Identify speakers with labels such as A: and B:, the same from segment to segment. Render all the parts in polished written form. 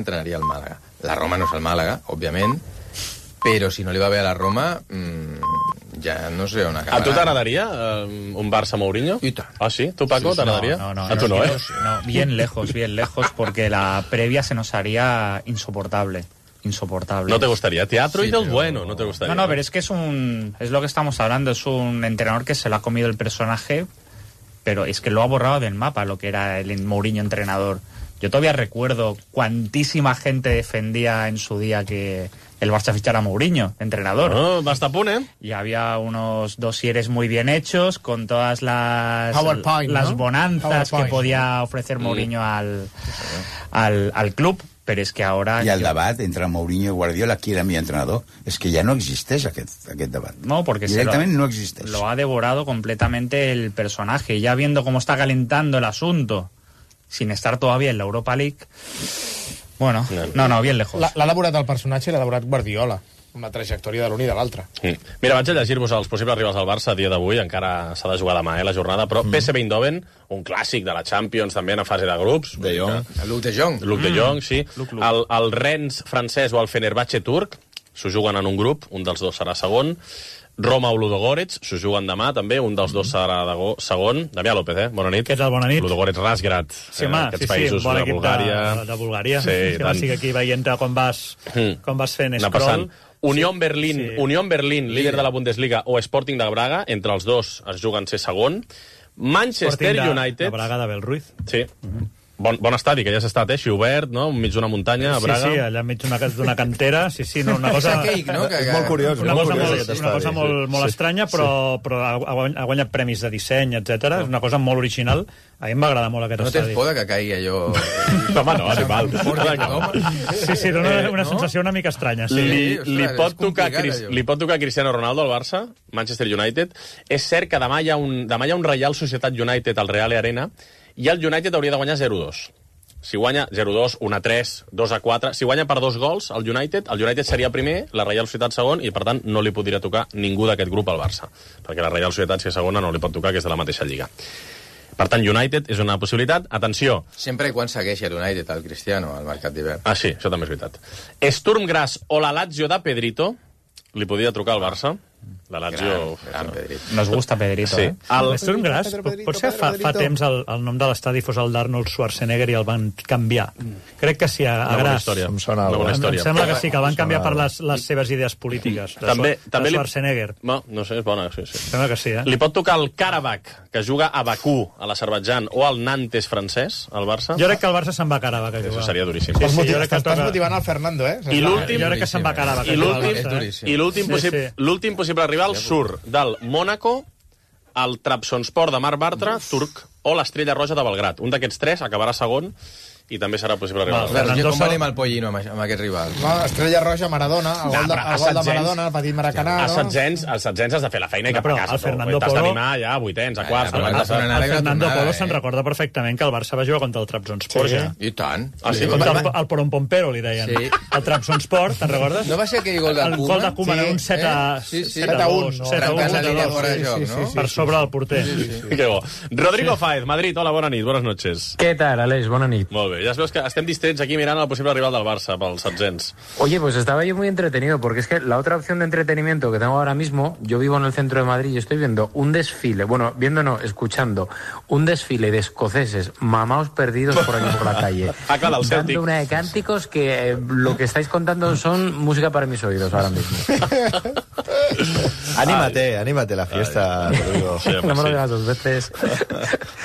A: entrenaria el Màlaga. La Roma no és el Màlaga, òbviament, però si no li va bé a la Roma, ja no sé on acabarà.
B: A tu t'agradaria un Barça-Mourinho?
A: I tant.
B: Ah, sí? Tu, Paco, t'agradaria?
C: No,
B: a tu no, ¿eh?
C: No, bien lejos, porque la previa se nos haría insoportable.
B: No te gustaría. Teatro y del bueno, no te gustaría.
C: No, pero es que es lo que estamos hablando, es un entrenador que se lo ha comido el personaje, pero es que lo ha borrado del mapa lo que era el Mourinho entrenador. Yo todavía recuerdo cuantísima gente defendía en su día que el Barça fichara a Mourinho, entrenador.
B: No, basta a punt, ¿eh?
C: Y había unos dosieres muy bien hechos, con todas las bonanzas que podía ofrecer Mourinho al club, pero es que ahora...
D: I el debat entre Mourinho i Guardiola, qui era mi entrenador, és que ja no existeix aquest debat.
C: No, porque
D: directament no existeix.
C: Lo ha devorado completamente el personaje. Ya viendo cómo está calentando el asunto, sin estar todavía en la Europa League... Bueno, no, bien lejos.
E: L'ha devorat el personatge i l'ha devorat Guardiola, amb la trajectòria de l'un i de l'altre.
B: Mira, vaig a llegir-vos els possibles rivals del Barça a dia d'avui, encara s'ha de jugar demà, la jornada, però PSV Eindhoven, un clàssic de la Champions, també en fase de grups.
A: De Jong. Luc de Jong.
B: Luc de Jong, sí. El Rennes francès o el Fenerbahçe turc, s'ho juguen en un grup, un dels dos serà segon. Roma o Ludogorets, s'ho juguen demà, també, un dels dos serà segon. Damià López, bona nit.
F: Què tal, bona nit?
B: Ludogorets Razgrad, aquests països
F: bon
B: de
F: equip
B: Bulgària.
F: de Bulgària.
B: Sí,
F: sí, aquí veient com vas fent scroll.
B: Unión Berlín, líder de la Bundesliga, o Sporting de Braga, entre els dos es juguen ser segon. Manchester United...
F: de Braga de Belruiz.
B: Sí. Bon estadi, que ja s'ha estat, així obert, no? Enmig d'una muntanya, a Braga.
F: Sí, allà enmig d'una cantera. Sí, no, una cosa...
D: És molt curiós.
F: Una cosa molt estranya, però ha guanyat premis de disseny, etc. És una cosa molt original. A mi m'agrada molt aquest estadi.
A: No tens por que caigui allò...
B: Home, no, animal.
F: Sí, dona una sensació una mica estranya.
B: Li pot tocar Cristiano Ronaldo al Barça, Manchester United. És cert que demà hi ha un Reial Societat United al Real Arena, i el United hauria de guanyar 0-2. Si guanya 0-2, 1-3, 2-4... Si guanya per 2 gols el United seria primer, la Reial Societat segon, i per tant no li podria tocar ningú d'aquest grup al Barça, perquè la Reial Societat, si és segona, no li pot tocar, que és de la mateixa lliga. Per tant, United és una possibilitat. Atenció.
A: Sempre i quan segueixi el United, el Cristiano, al mercat d'hivern.
B: Ah, sí, això també és veritat. Sturm Graz o la Lazio de Pedrito li podria trucar al Barça. La Lazio...
A: Gran Pedrito.
C: Nos gusta Pedrito,
B: sí.
F: El Sturm Graz, potser fa temps el nom de l'estadi fos el d'Arnold Schwarzenegger i el van canviar. Crec que sí, a Graz.
B: Em
F: sembla que sí, que el van canviar per les seves idees polítiques.
B: També
F: Schwarzenegger.
B: No sé, és bona. Sí.
F: Sembla que sí,
B: Li pot tocar el Karabakh, que juga a Bakú, a l'Azerbaidjan, o el Nantes francès, al Barça?
F: Jo crec que el Barça se'n va a Karabakh a jugar.
B: Això seria duríssim.
E: Estàs motivant el Fernando,
B: I l'últim...
F: Jo crec que se'n va a Karabakh.
B: I l'últim possible rival surt del Mónaco, el Trabzonspor de Marc Bartra, turc, o l'Estrella Roja de Belgrat. Un d'aquests tres acabarà segon i també serà possible rival.
A: Com venim al Pollino amb aquest rival?
E: Estrella Roja, Maradona, el gol de Maradona, el petit Maracanà...
B: Els setzents has de fer la feina i cap a casa.
F: El Fernando Polo...
B: T'has d'animar ja a vuitens, a quarts...
F: El Fernando Polo se'n recorda perfectament que el Barça va jugar contra el Trabzonspor.
A: I tant.
F: El Pompero, li deien. El Trabzonspor, te'n recordes?
A: No va ser aquell gol de Koeman?
F: El gol de Koeman, un 7-1.
A: 7-1.
F: Per sobre del porter.
B: Que bo. Rodrigo Fáez, Madrid, hola, bona nit, buenas noches.
G: ¿Qué tal, Aleix? Bona nit.
B: Molt bé, ja es veus que estem distrets aquí mirant el posible rival del Barça pels setzents.
G: Oye, pues estaba yo muy entretenido, porque es que la otra opción de entretenimiento que tengo ahora mismo, yo vivo en el centro de Madrid y estoy viendo un desfile, escuchando un desfile de escoceses mamaos perdidos por aquí por la calle. Dando una de cánticos que lo que estáis contando son música para mis oídos ahora mismo.
H: Anímate la fiesta, Rodrigo.
G: Sí, no me lo digas dos veces.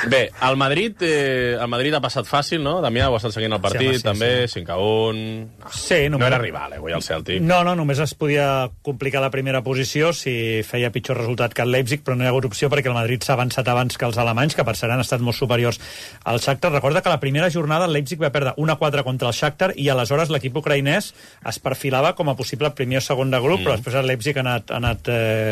B: Bé, el Madrid ha passat fàcil, no? Damià, ho ha estat seguint el partit, també, 5-1...
F: Sí,
B: no era rival, avui, el Celtic.
F: No, només es podia complicar la primera posició si feia pitjor resultat que el Leipzig, però no hi ha hagut opció perquè el Madrid s'ha avançat abans que els alemanys, que per cert han estat molt superiors al Shakhtar. Recorda que la primera jornada el Leipzig va perdre 1-4 contra el Shakhtar i aleshores l'equip ucraïnès es perfilava com a possible primer o segon de grup, però després el Leipzig ha anat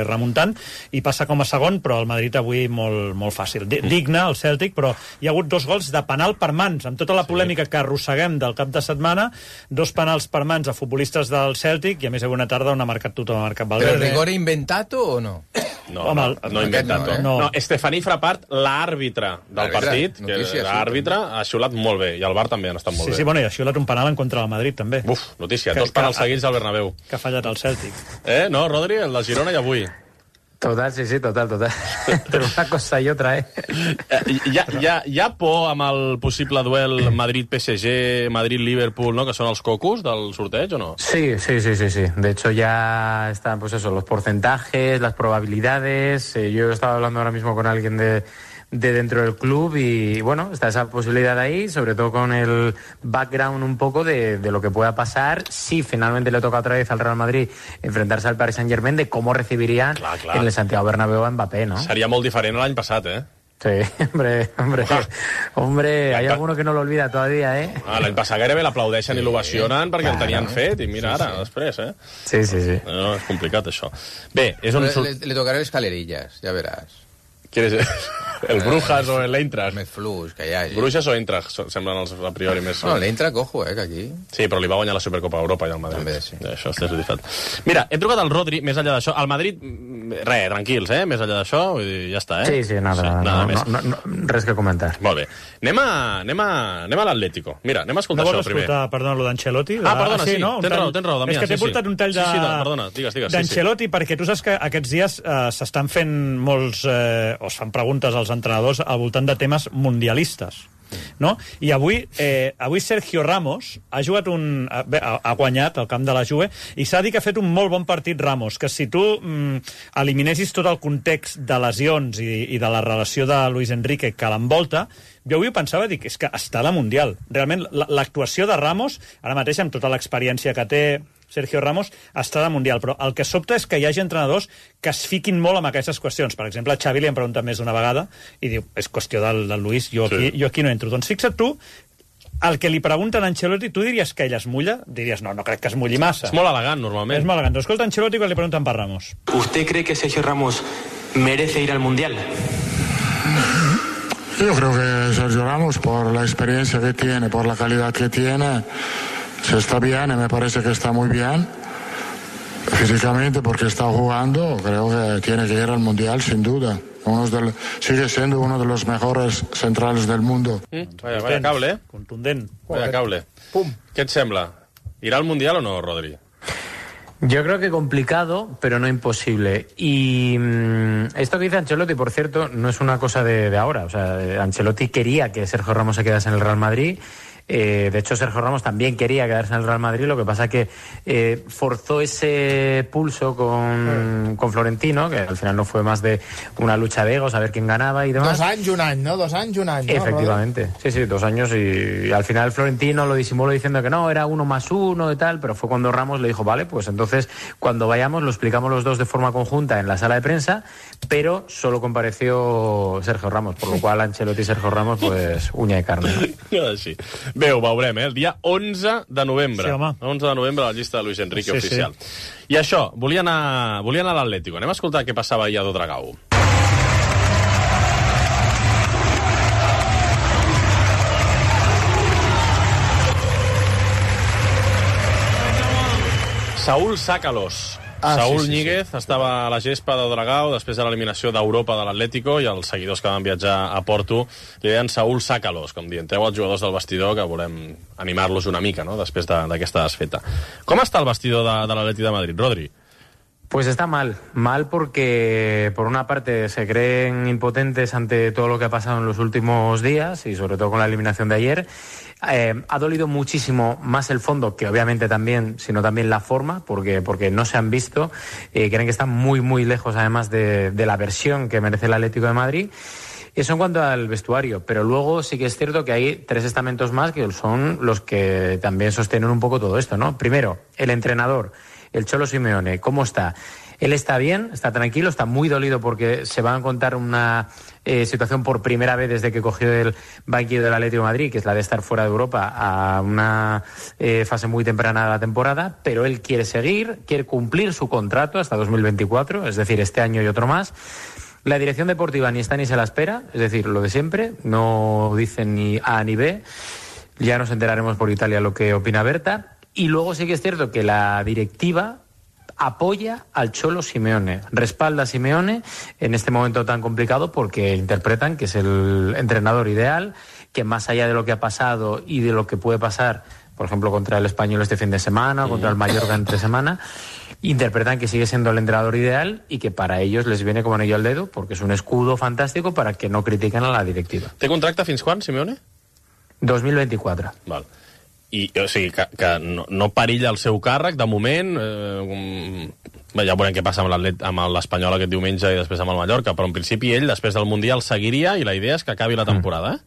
F: remuntant i passa com a segon, però el Madrid avui molt fàcil. Digne, el Celtic, però hi ha hagut 2 gols de penal per mans, amb tota la polèmica polèmica que arrosseguem del cap de setmana, 2 penals per mans a futbolistes del Celtic i a més una tarda on ha marcat tothom, ha marcat Valverde.
A: Però rigor inventato o no?
B: No inventato. No, Estefaní Frappart, l'àrbitre del partit, que l'àrbitre ha xiulat molt bé, i el VAR també han estat molt bé.
F: Sí, bueno, i ha xiulat un penal en contra del Madrid, també.
B: Uf, notícia, 2 penals seguits al Bernabéu.
F: Que ha fallat el Celtic.
B: No, Rodri, el de Girona i avui.
G: Total, sí, total. Pero una cosa y otra,
B: Hi ha por amb el possible duel Madrid-PSG, Madrid-Liverpool, ¿no? Que són els cocos del sorteig, o no?
G: Sí. De hecho, ya están, pues eso, los porcentajes, las probabilidades. Yo estaba hablando ahora mismo con alguien de dentro del club y, bueno, está esa posibilidad ahí, sobre todo con el background un poco de lo que pueda pasar si finalmente le toca otra vez al Real Madrid enfrentarse al Paris Saint-Germain, de cómo recibirían en el Santiago Bernabéu a Mbappé, ¿no?
B: Seria molt diferent l'any passat,
G: Sí, hombre, hay alguno que no lo olvida todavía,
B: L'any passat gairebé l'aplaudeixen i l'ovacionen perquè el tenien fet, i mira ara, després,
G: Sí.
B: No, és complicat, això. Bé, és un...
A: Le tocaré les escalerillas, ja veràs.
B: ¿Quieres el Brujas o el Eintracht?
A: Més flux que hi hagi.
B: Brujas o Eintracht semblen els a priori més...
A: No, l'Eintracht, ojo, que aquí...
B: Sí, però li va guanyar la Supercopa d'Europa i al Madrid.
A: També, sí.
B: Això és veritat. Mira, he trucat al Rodri, més enllà d'això. Al Madrid, tranquils, més enllà d'això, vull dir, ja està,
G: Sí, nada més. No, res que comentar.
B: Molt bé. Anem a l'Atlético. Mira, anem a escoltar això primer.
F: No vols escoltar, perdona, lo d'Ancelotti?
B: Perdona, sí, tens raó, Damià.
F: És que t'he portat un tall d'Ancelotti perquè tu saps que aquests dies s'estan fent molts... o es fan preguntes als entrenadors al voltant de temes mundialistes, no? I avui Sergio Ramos ha jugat ha guanyat al camp de la Juve i s'ha dit que ha fet un molt bon partit Ramos, que si tu eliminessis tot el context de lesions i de la relació de Luis Enrique que l'envolta, jo avui pensava, dic, és que està a la Mundial. Realment, l'actuació de Ramos, ara mateix amb tota l'experiència que té Sergio Ramos, està a la Mundial, però el que sobta és que hi hagi entrenadors que es fiquin molt amb aquestes qüestions. Per exemple, a Xavi li han preguntat més d'una vegada i diu, és qüestió del Luis, jo aquí no entro. Doncs fixa't tu, el que li pregunten a Ancelotti, tu diries que ell es mulla? Diries, no crec que es mulli massa.
B: És molt elegant, normalment.
F: És molt elegant. Doncs escolta Ancelotti quan li pregunten per Ramos.
I: ¿Usted cree que Sergio Ramos merece ir al Mundial?
J: Yo creo que Sergio Ramos, por la experiencia que tiene, por la calidad que tiene, se está bien y me parece que está muy bien físicamente porque está jugando. Creo que tiene que ir al Mundial sin duda. Sigue siendo uno de los mejores centrales del mundo.
B: Vaya cable,
F: Contundent.
B: Vaya cable. Pum. ¿Qué et sembla? ¿Irá al Mundial o no, Rodri?
G: Yo creo que complicado, pero no imposible. Y esto que dice Ancelotti, por cierto, no es una cosa de ahora. O sea, Ancelotti quería que Sergio Ramos se quedase en el Real Madrid. De hecho, Sergio Ramos también quería quedarse en el Real Madrid, lo que pasa que forzó ese pulso con Florentino, que al final no fue más de una lucha de egos, a ver quién ganaba y demás.
E: 2 anys, un any, ¿no? 2 anys, un any.
G: Efectivamente, ¿no? Sí, 2 años y al final Florentino lo disimuló diciendo que no, era 1+1 y tal, pero fue cuando Ramos le dijo, vale, pues entonces cuando vayamos lo explicamos los dos de forma conjunta en la sala de prensa, pero solo compareció Sergio Ramos, por lo cual Ancelotti y Sergio Ramos, pues uña i carne.
B: No? Sí. Bé, ho veurem, el dia 11 de novembre.
F: Sí, home.
B: 11 de novembre, la llista de Luis Enrique oficial. Sí. I això, volia anar a l'Atlético. Anem a escoltar què passava ahir a Dodragao. Saúl Sácalos. Saúl Ñíguez estava a la gespa de Dragao després de l'eliminació d'Europa de l'Atlético i els seguidors que van viatjar a Porto li deien Saúl Sácalos, com dient, treu els jugadors del vestidor que volem animar-los una mica, no?, després d'aquesta desfeta. Com està el vestidor de l'Atleti de Madrid, Rodri?
G: Pues está mal porque por una parte se creen impotentes ante todo lo que ha pasado en los últimos días y sobre todo con la eliminación de ayer. Ha dolido muchísimo más el fondo que obviamente también, sino también la forma, porque no se han visto, creen que están muy muy lejos además de la versión que merece el Atlético de Madrid. Eso en cuanto al vestuario, pero luego sí que es cierto que hay 3 estamentos más que son los que también sostienen un poco todo esto, ¿no? Primero, el entrenador, el Cholo Simeone, ¿cómo está? Él está bien, está tranquilo, está muy dolido porque se va a encontrar una situación por primera vez desde que cogió el banquillo del Atlético de Madrid, que es la de estar fuera de Europa a una fase muy temprana de la temporada, pero él quiere seguir, quiere cumplir su contrato hasta 2024, es decir, este año y otro más. La dirección deportiva ni está ni se la espera, es decir, lo de siempre, no dicen ni A ni B. Ya nos enteraremos por Italia lo que opina Berta. Y luego sí que es cierto que la directiva apoya al Cholo Simeone, respalda a Simeone en este momento tan complicado porque interpretan que es el entrenador ideal, que más allá de lo que ha pasado y de lo que puede pasar, por ejemplo, contra el Español este fin de semana o contra el Mallorca entre semana, interpretan que sigue siendo el entrenador ideal y que para ellos les viene como anillo al dedo porque es un escudo fantástico para que no critiquen a la directiva.
B: Té contracte fins quan, Simeone?
G: 2024.
B: Val. I, o sigui, que no perilla el seu càrrec, de moment, ja veurem què passa amb l'Espanyol aquest diumenge i després amb el Mallorca, però en principi ell, després del Mundial, seguiria i la idea és que acabi la temporada,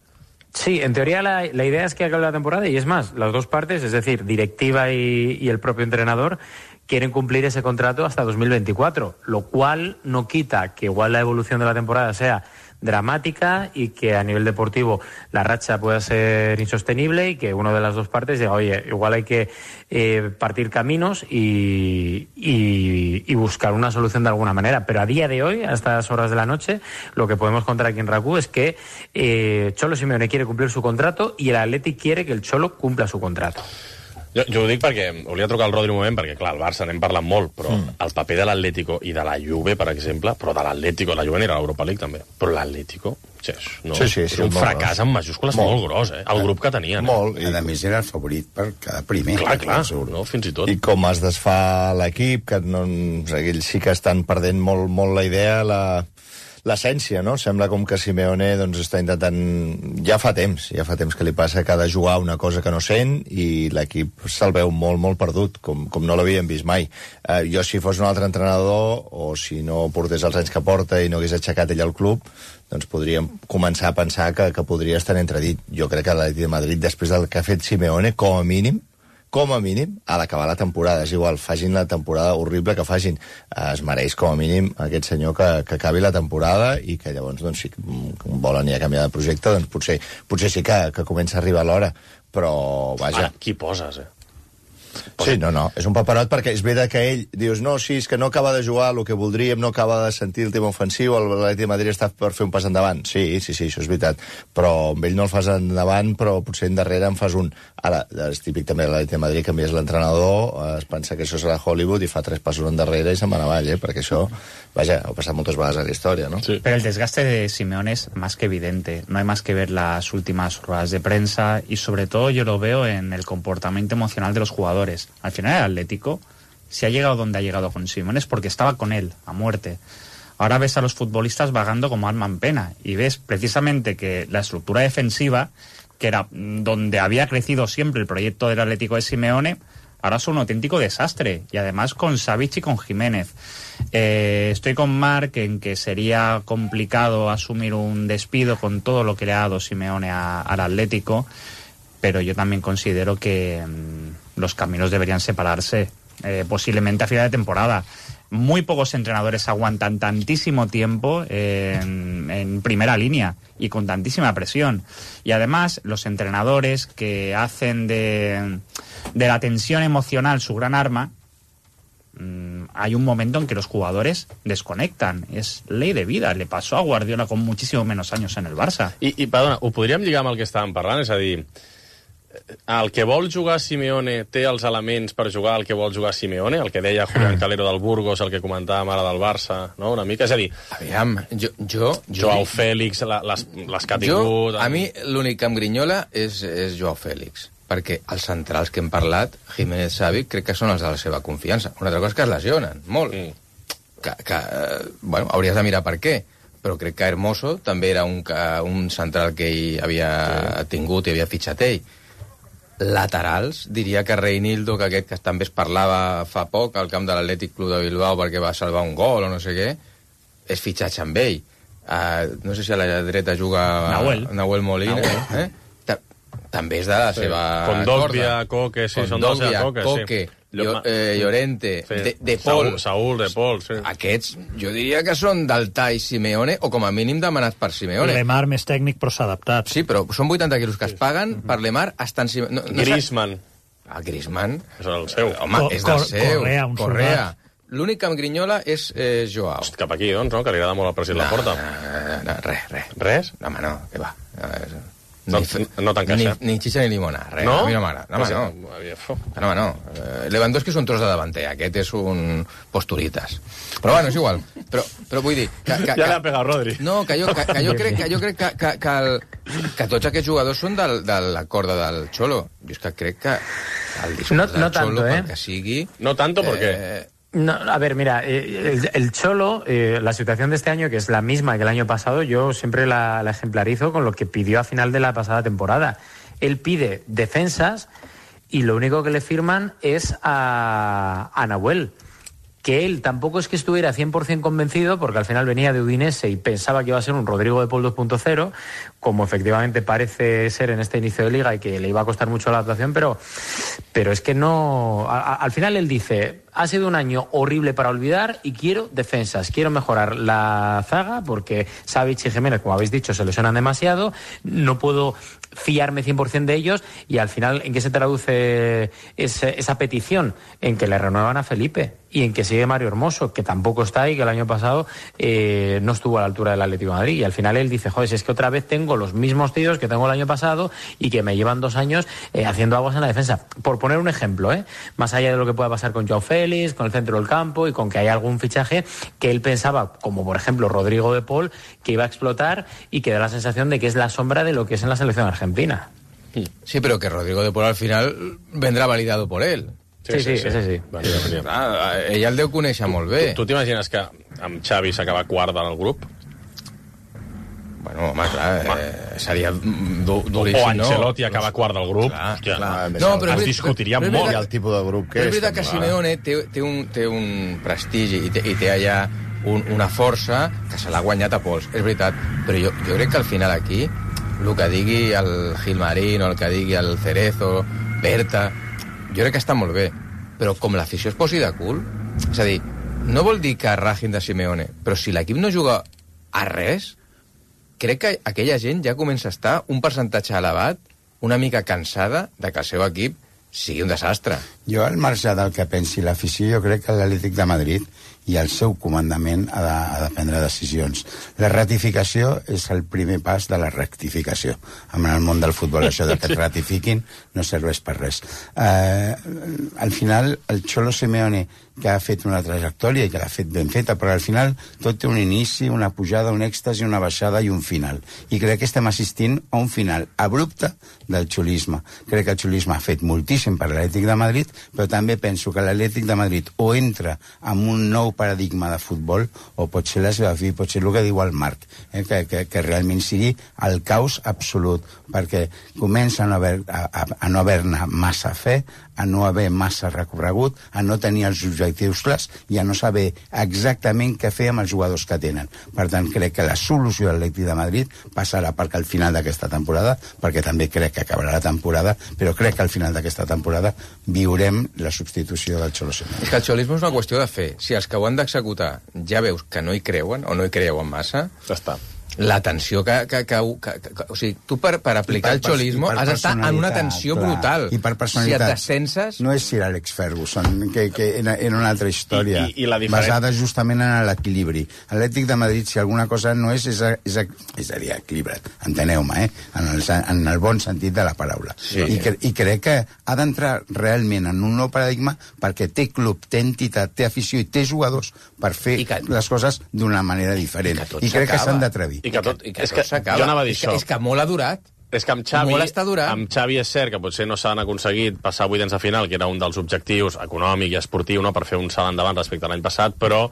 G: Sí, en teoría la idea es que acabe la temporada y es más, las dos partes, es decir, directiva y el propio entrenador, quieren cumplir ese contrato hasta 2024, lo cual no quita que igual la evolución de la temporada sea dramática y que a nivel deportivo la racha pueda ser insostenible y que una de las dos partes diga, oye, igual hay que partir caminos y buscar una solución de alguna manera. Pero a día de hoy, a estas horas de la noche, lo que podemos contar aquí en RAC1 es que Cholo Simeone quiere cumplir su contrato y el Athletic quiere que el Cholo cumpla su contrato.
B: Jo ho dic perquè volia trucar al Rodri un moment, perquè, clar, el Barça n'hem parlat molt, però el paper de l'Atlético i de la Juve, per exemple, però de l'Atlético, la Juve anirà a l'Europa League també, però l'Atlético, és un fracàs amb majúscules molt gros, el grup que tenien.
D: Molt, i a més era el favorit per cada primer.
B: Clar, no, fins i tot.
H: I com es desfà l'equip, que no, ells sí que estan perdent molt la idea, l'essència, no? Sembla com que Simeone doncs, està intentant... Ja fa temps que li passa que ha de jugar una cosa que no sent i l'equip se'l veu molt perdut, com no l'havíem vist mai. Jo, si fos un altre entrenador, o si no portés els anys que porta i no hagués aixecat ell el club, doncs podríem començar a pensar que podria estar en entredit. Jo crec que l'Atlètic de Madrid, després del que ha fet Simeone, com a mínim, ha d'acabar la temporada. És igual, facin la temporada horrible que facin. Es mereix, com a mínim, aquest senyor que acabi la temporada i que llavors, doncs, si volen ja canviar de projecte, doncs potser sí que comença a arribar l'hora. Però, vaja...
B: Ara, qui poses,
H: Sí, no, és un paperot perquè és veritat que ell dius, no, sí, és que no acaba de jugar el que voldríem, no acaba de sentir el tema ofensiu, l'Atlètic de Madrid està per fer un pas endavant. Sí, això és veritat, però amb ell no el fas endavant, però potser endarrere en fas un. Ara, és típic també de l'Atlètic de Madrid, canvies l'entrenador, es pensa que això serà Hollywood i fa 3 passos endarrere i se'n va avall, perquè això, vaja, ha passat moltes vegades a la història, ¿no?
C: Sí. Pero el desgaste de Simeone es más que evidente. No hay más que ver las últimas ruedas de prensa y sobre todo yo lo veo en el comportamiento emocional de los jugadores. Al final el Atlético, si ha llegado donde ha llegado con Simeone es porque estaba con él, a muerte. Ahora ves a los futbolistas vagando como alma en pena y ves precisamente que la estructura defensiva, que era donde había crecido siempre el proyecto del Atlético de Simeone, ahora es un auténtico desastre, y además con Savic y con Jiménez. Estoy con Marc en que sería complicado asumir un despido con todo lo que le ha dado Simeone al Atlético, pero yo también considero que los caminos deberían separarse, posiblemente a final de temporada. Muy pocos entrenadores aguantan tantísimo tiempo en primera línea y con tantísima presión. Y además, los entrenadores que hacen de la tensión emocional su gran arma, hay un momento en que los jugadores desconectan. És ley de vida. Le pasó a Guardiola con muchísimo menos años en el Barça.
B: I perdona, ho podríem lligar amb el que estàvem parlant? És a dir, el que vol jugar Simeone té els elements per jugar el que vol jugar Simeone, el que deia Julián Calero del Burgos, el que comentàvem ara del Barça, no? Una mica, és a dir...
A: Aviam,
B: Joao Félix, les que ha tingut...
A: A mi l'únic que em grinyola és Joao Félix, perquè els centrals que hem parlat, Jiménez, Savic, crec que són els de la seva confiança. Una altra cosa és que es lesionen, molt. Bueno, hauries de mirar per què, però crec que Hermoso també era un central que ell havia tingut i havia fitxat ell. Laterals, diria que Reinildo, que aquest que també es parlava fa poc al camp de l'Atlètic Club de Bilbao perquè va salvar un gol o no sé què, és fitxatge amb ell. No sé si a la dreta juga Nahuel Molina. També és de la seva
B: Condovia, Coque, sí, són de la seva Coque,
A: Coque, Llorente, De Paul.
B: Saúl, De Paul, sí.
A: Aquests, jo diria que són del tall Simeone, o com a mínim demanats per Simeone.
F: Lemar més tècnic, però s'ha adaptat.
A: Sí, però són 80 quilos que es paguen per Lemar estan...
B: Griezmann.
A: Griezmann.
B: És el seu.
A: Home, és del seu.
F: Correa.
A: L'únic que em grinyola és Joao.
B: Host, cap aquí, doncs, no? Que li agrada molt el president Laporta.
A: Res.
B: Res?
A: Home, no, què va.
B: No t'encaixa.
A: Ni xicha ni limonada, res.
B: No?
A: A mi no m'agrada. No. Lewandowski és un tros de davanter, aquest és un posturitas. Però bueno, és igual. Però vull dir...
B: Ja l'ha pegat Rodri.
A: No, que jo crec que tots aquests jugadors són de la corda del Cholo. Jo és que crec que el discurs del Cholo, perquè sigui...
B: No tanto, ¿por qué?
G: No, a ver, mira, el Cholo, la situación de este año, que es la misma que el año pasado, yo siempre la ejemplarizo con lo que pidió a final de la pasada temporada. Él pide defensas y lo único que le firman es a Nahuel. Que él tampoco es que estuviera 100% convencido, porque al final venía de Udinese y pensaba que iba a ser un Rodrigo de Paul 2.0, como efectivamente parece ser en este inicio de liga y que le iba a costar mucho la adaptación, pero es que no... Al final él dice, ha sido un año horrible para olvidar y quiero defensas, quiero mejorar la zaga, porque Savic y Jiménez, como habéis dicho, se lesionan demasiado, no puedo fiarme 100% de ellos, y al final, ¿en qué se traduce esa petición? En que le renuevan a Felipe y en que sigue Mario Hermoso, que tampoco está ahí, que el año pasado no estuvo a la altura del Atlético de Madrid, y al final él dice, joder, si es que otra vez tengo los mismos tíos que tengo el año pasado y que me llevan 2 años haciendo aguas en la defensa. Por poner un ejemplo, más allá de lo que pueda pasar con Joao Félix, con el centro del campo y con que hay algún fichaje que él pensaba, como por ejemplo Rodrigo de Paul, que iba a explotar y que da la sensación de que es la sombra de lo que es en la selección argentina.
A: Sí, pero que Rodrigo de Paul al final vendrà validado por él.
G: Sí.
A: Ell el deu conèixer molt bé.
B: Tu t'imagines que amb Xavi s'acaba quart del grup?
A: Bueno, home, clar, seria duríssim,
B: o Ancelotti acaba quart del grup.
A: Clar.
B: Es discutiria molt
H: el tipus de grup que és.
A: Però és veritat que Simeone té un prestigi i té allà una força que se l'ha guanyat a pols, és veritat. Però jo crec que al final aquí, el que digui el Gilmarín o el que digui el Cerezo, Berta, jo crec que està molt bé. Però com l'afició es posi de cul, és a dir, no vol dir que ragin de Simeone, però si l'equip no juga a res, crec que aquella gent ja comença a estar un percentatge elevat, una mica cansada de que el seu equip sigui un desastre.
D: Jo, al marge del que pensi l'afició, jo crec que l'Atlètic de Madrid i el seu comandament ha de prendre decisions. La ratificació és el primer pas de la rectificació. En el món del futbol, això de que et ratifiquin no serveix per res. Al final, el Cholo Simeone, que ha fet una trajectòria i que l'ha fet ben feta, però al final tot té un inici, una pujada, un èxtasi, una baixada i un final. I crec que estem assistint a un final abrupte del xolisme. Crec que el xolisme ha fet moltíssim per l'Atlètic de Madrid, però també penso que l'Atlètic de Madrid o entra en un nou paradigma de futbol o pot ser la seva fi, pot ser el que diu el Marc, que realment sigui el caos absolut, perquè comença a no haver-ne massa fe, a no haver massa recorregut, a no tenir els objectius clars i a no saber exactament què fer amb els jugadors que tenen. Per tant, crec que la solució de l'Atlètic de Madrid passarà perquè al final d'aquesta temporada, perquè també crec que acabarà la temporada, però crec que al final d'aquesta temporada viurem la substitució del Cholo Simeone.
A: És que el xolisme és una qüestió de fer. Si els que ho han d'executar ja veus que no hi creuen o no hi creuen massa,
B: ja està.
A: La tensió o sigui, tu per aplicar el xolisme has d'estar en una tensió brutal.
D: I per personalitat.
A: Si et descenses...
D: No és Sir Alex Ferguson, que en una altra història,
B: I la
D: basada justament en l'equilibri. L'Atlètic de Madrid, si alguna cosa no és a dir, equilibrat, enteneu-me, en el bon sentit de la paraula.
A: Sí.
D: I crec que ha d'entrar realment en un nou paradigma perquè té club, té entitat, té afició i té jugadors per fer les coses d'una manera diferent. I crec que s'han d'atrevir.
B: I que tot s'acaba. Jo anava a dir això.
A: És que molt ha durat.
B: És que amb Xavi és cert que potser no s'han aconseguit passar 8 de final, que era un dels objectius econòmic i esportiu, no, per fer un salt endavant respecte a l'any passat, però,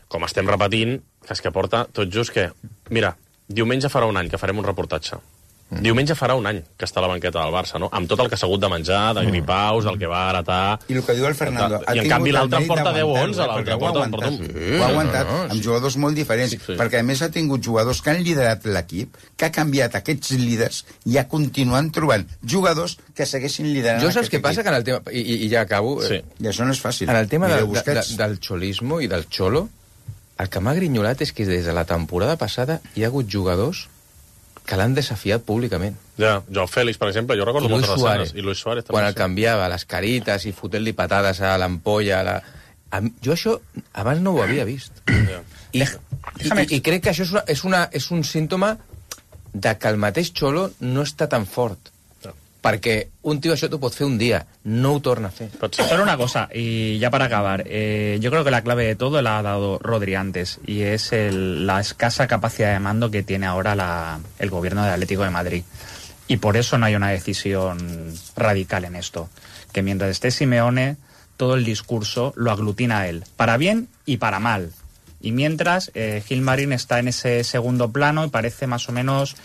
B: com estem repetint, que és que porta tot just que... Mira, diumenge farà un any que farem un reportatge. Diumenge farà un any que està a la banqueta del Barça, no? Amb tot el que s'ha hagut de menjar, de gripaus, del que va heretar...
D: I el que diu el Fernando...
B: I en canvi l'altre en porta 10 o 11, l'altre porta un...
D: Ho ha aguantat amb jugadors molt diferents, perquè a més ha tingut jugadors que han liderat l'equip, que ha canviat aquests líders i ha continuat trobant jugadors que segueixin liderant.
A: Jo saps què passa? Que en el tema... I ja acabo...
D: I això no és fàcil.
A: En el tema del xolismo i del xolo, el que m'ha grinyolat és que des de la temporada passada hi ha hagut jugadors que l'han desafiat públicament.
B: Ja, Joao Félix, per exemple, jo recordo moltes escenes. I Luis Suárez també.
A: Quan el canviava, les carites i fotent-li patades a l'ampolla... Jo això abans no ho havia vist. I crec que això és un símptoma de que el mateix Xolo no està tan fort. Perquè un tío això t'ho pot fer un dia, no ho torna a fer.
C: Solo una cosa, y ya para acabar, yo creo que la clave de todo la ha dado Rodri antes, y es la escasa capacidad de mando que tiene ahora el gobierno del Atlético de Madrid. Y por eso no hay una decisión radical en esto. Que mientras esté Simeone, todo el discurso lo aglutina a él, para bien y para mal. Y mientras, Gilmarín está en ese segundo plano y parece más o menos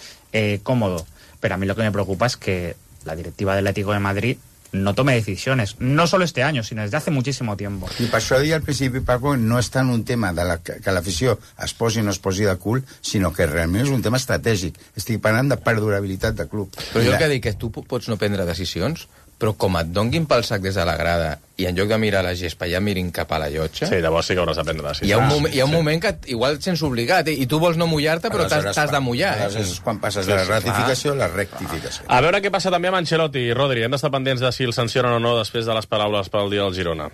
C: cómodo. Pero a mí lo que me preocupa es que la directiva del Atlético de Madrid no tome decisiones, no solo este año, sino desde hace muchísimo tiempo.
D: I per això deia al principi, Paco, no és tant un tema de que l'afició es posi o no es posi de cul, sinó que realment és un tema estratègic. Estic parlant de perdurabilitat de club.
A: Però jo el que dic que tu pots no prendre decisions, però com et donguin pel sac des de la grada i en lloc de mirar la gespa ja mirin cap a la llotja...
B: Sí, llavors sí que hauràs de prendre decisions.
A: Hi ha un moment que igual et sents obligat i tu vols no mullar-te, però t'has de mullar.
D: Aleshores és quan passes de la ratificació a la rectificació.
B: A veure què passa també amb Ancelotti. Rodri, hem d'estar pendents de si el sancionen o no després de les paraules pel dia del Girona.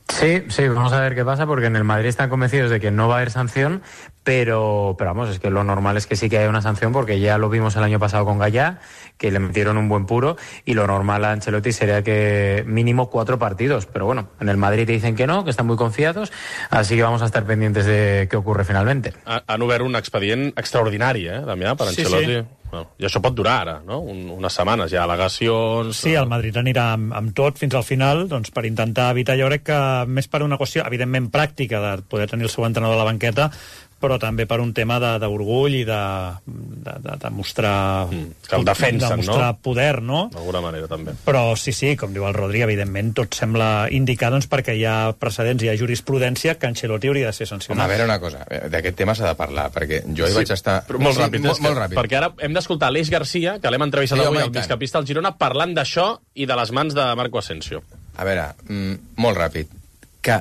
G: Sí, vamos a ver qué pasa, porque en el Madrid están convencidos de que no va a haber sanción, pero vamos, es que lo normal es que sí que haya una sanción, porque ya lo vimos el año pasado con Gallá, que le metieron un buen puro, y lo normal a Ancelotti sería que mínimo 4 partidos, pero bueno, en el Madrid te dicen que no, que están muy confiados, así que vamos a estar pendientes de qué ocurre finalmente.
B: Han obert un expedient extraordinari, Damià, per Ancelotti. Sí. Bueno, i això pot durar ara, no? Unes setmanes, hi ha al·legacions...
F: Sí, el Madrid anirà amb tot fins al final, doncs per intentar evitar, jo crec que més per una qüestió, evidentment, pràctica, de poder tenir el seu entrenador a la banqueta, però també per un tema d'orgull i de mostrar...
B: Que el defensen,
F: de mostrar poder, no?
B: D'alguna manera, també.
F: Però sí, com diu el Rodri, evidentment, tot sembla indicar, doncs, perquè hi ha precedents, hi ha jurisprudència, que Ancelotti hauria de ser sancionat.
A: Home, a veure una cosa, d'aquest tema s'ha de parlar, perquè jo hi vaig estar...
B: Molt ràpid, molt ràpid. Perquè ara hem d'escoltar Aleix Garcia, que l'hem entrevistat avui, el migcampista del Girona, parlant d'això i de les mans de Marco Asensio.
A: A veure, molt ràpid, que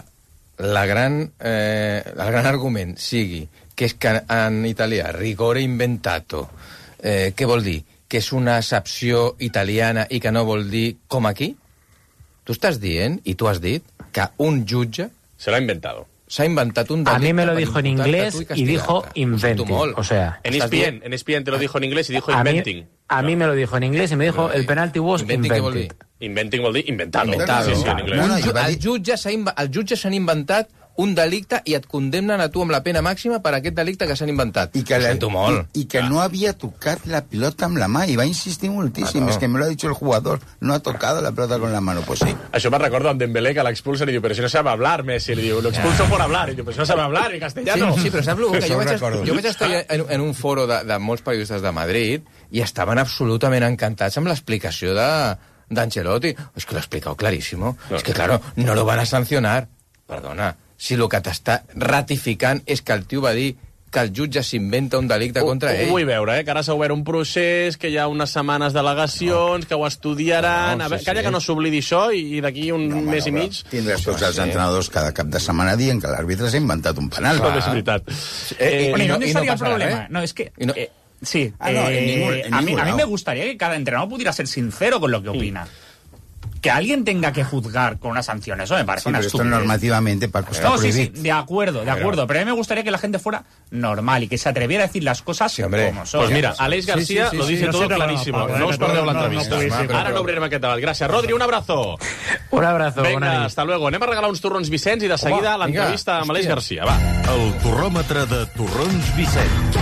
A: el gran argument sigui que és que en italià rigore inventato, què vol dir? Que és una accepció italiana i que no vol dir com aquí? Tu estàs dient, i tu has dit, que un jutge...
B: Se l'ha inventado.
A: S'ha inventat un delicte.
G: A mí me lo dijo en inglés y dijo inventing. O sea,
B: en ESPN te lo dijo en inglés y dijo inventing.
G: A mí me lo dijo en inglés y me dijo el penalti was invented.
B: Inventing vol dir inventado.
A: Sí,
B: en inglés.
A: El jutge s'han inventat un delicte i et condemnen a tu amb la pena màxima per aquest delicte que s'han inventat.
D: I que no havia tocat la pilota amb la mà, i va insistir moltíssim. Es que me lo ha dicho el jugador, no ha tocado la pelota con la mano. Pues sí.
B: Això me recordo amb Dembélé, que l'expulsen i diu, però si no sabe hablar, Messi. Li diu, lo expulso por hablar. I diu, però si no sabe hablar, en castellano.
A: Sí, però saps que jo vaig estar en un foro de molts periodistes de Madrid i estaven absolutament encantats amb l'explicació d'Ancelotti. És que l'ha explicat clarísimo. És que, claro, no lo van a sancionar. Perdona, si el que t'està ratificant és que el tio va dir que el jutge s'inventa un delicte contra ell.
B: Ho vull veure, que ara s'ha obert un procés, que hi ha unes setmanes d'al·legacions, que ho estudiaran... Calla que no s'oblidi això i d'aquí un mes i mig...
D: Tindràs tots els entrenadors cada cap de setmana dient que l'àrbitre s'ha inventat un penal.
B: No, és veritat.
C: ¿Y dónde estaría el problema? No, es que... Sí, a mí me gustaría que cada entrenador pudiera ser sincero con lo que opina. Que alguien tenga que juzgar con una sanción, eso me parece una estupidez.
D: Esto normativamente, Paco, está prohibido.
C: Sí, de acuerdo, pero a mí me gustaría que la gente fuera normal y que se atreviera a decir las cosas como son.
B: Pues mira, Aleix García lo dice todo clarísimo. No os perdeu l'entrevista. Ara no obrirem aquest debat. Gràcies. Rodri, un abrazo.
G: Un abrazo.
B: Vinga, hasta luego. Anem a regalar uns torrons Vicenç i de seguida l'entrevista amb Aleix Garcia. Va.
K: El torròmetre de torrons Vicenç.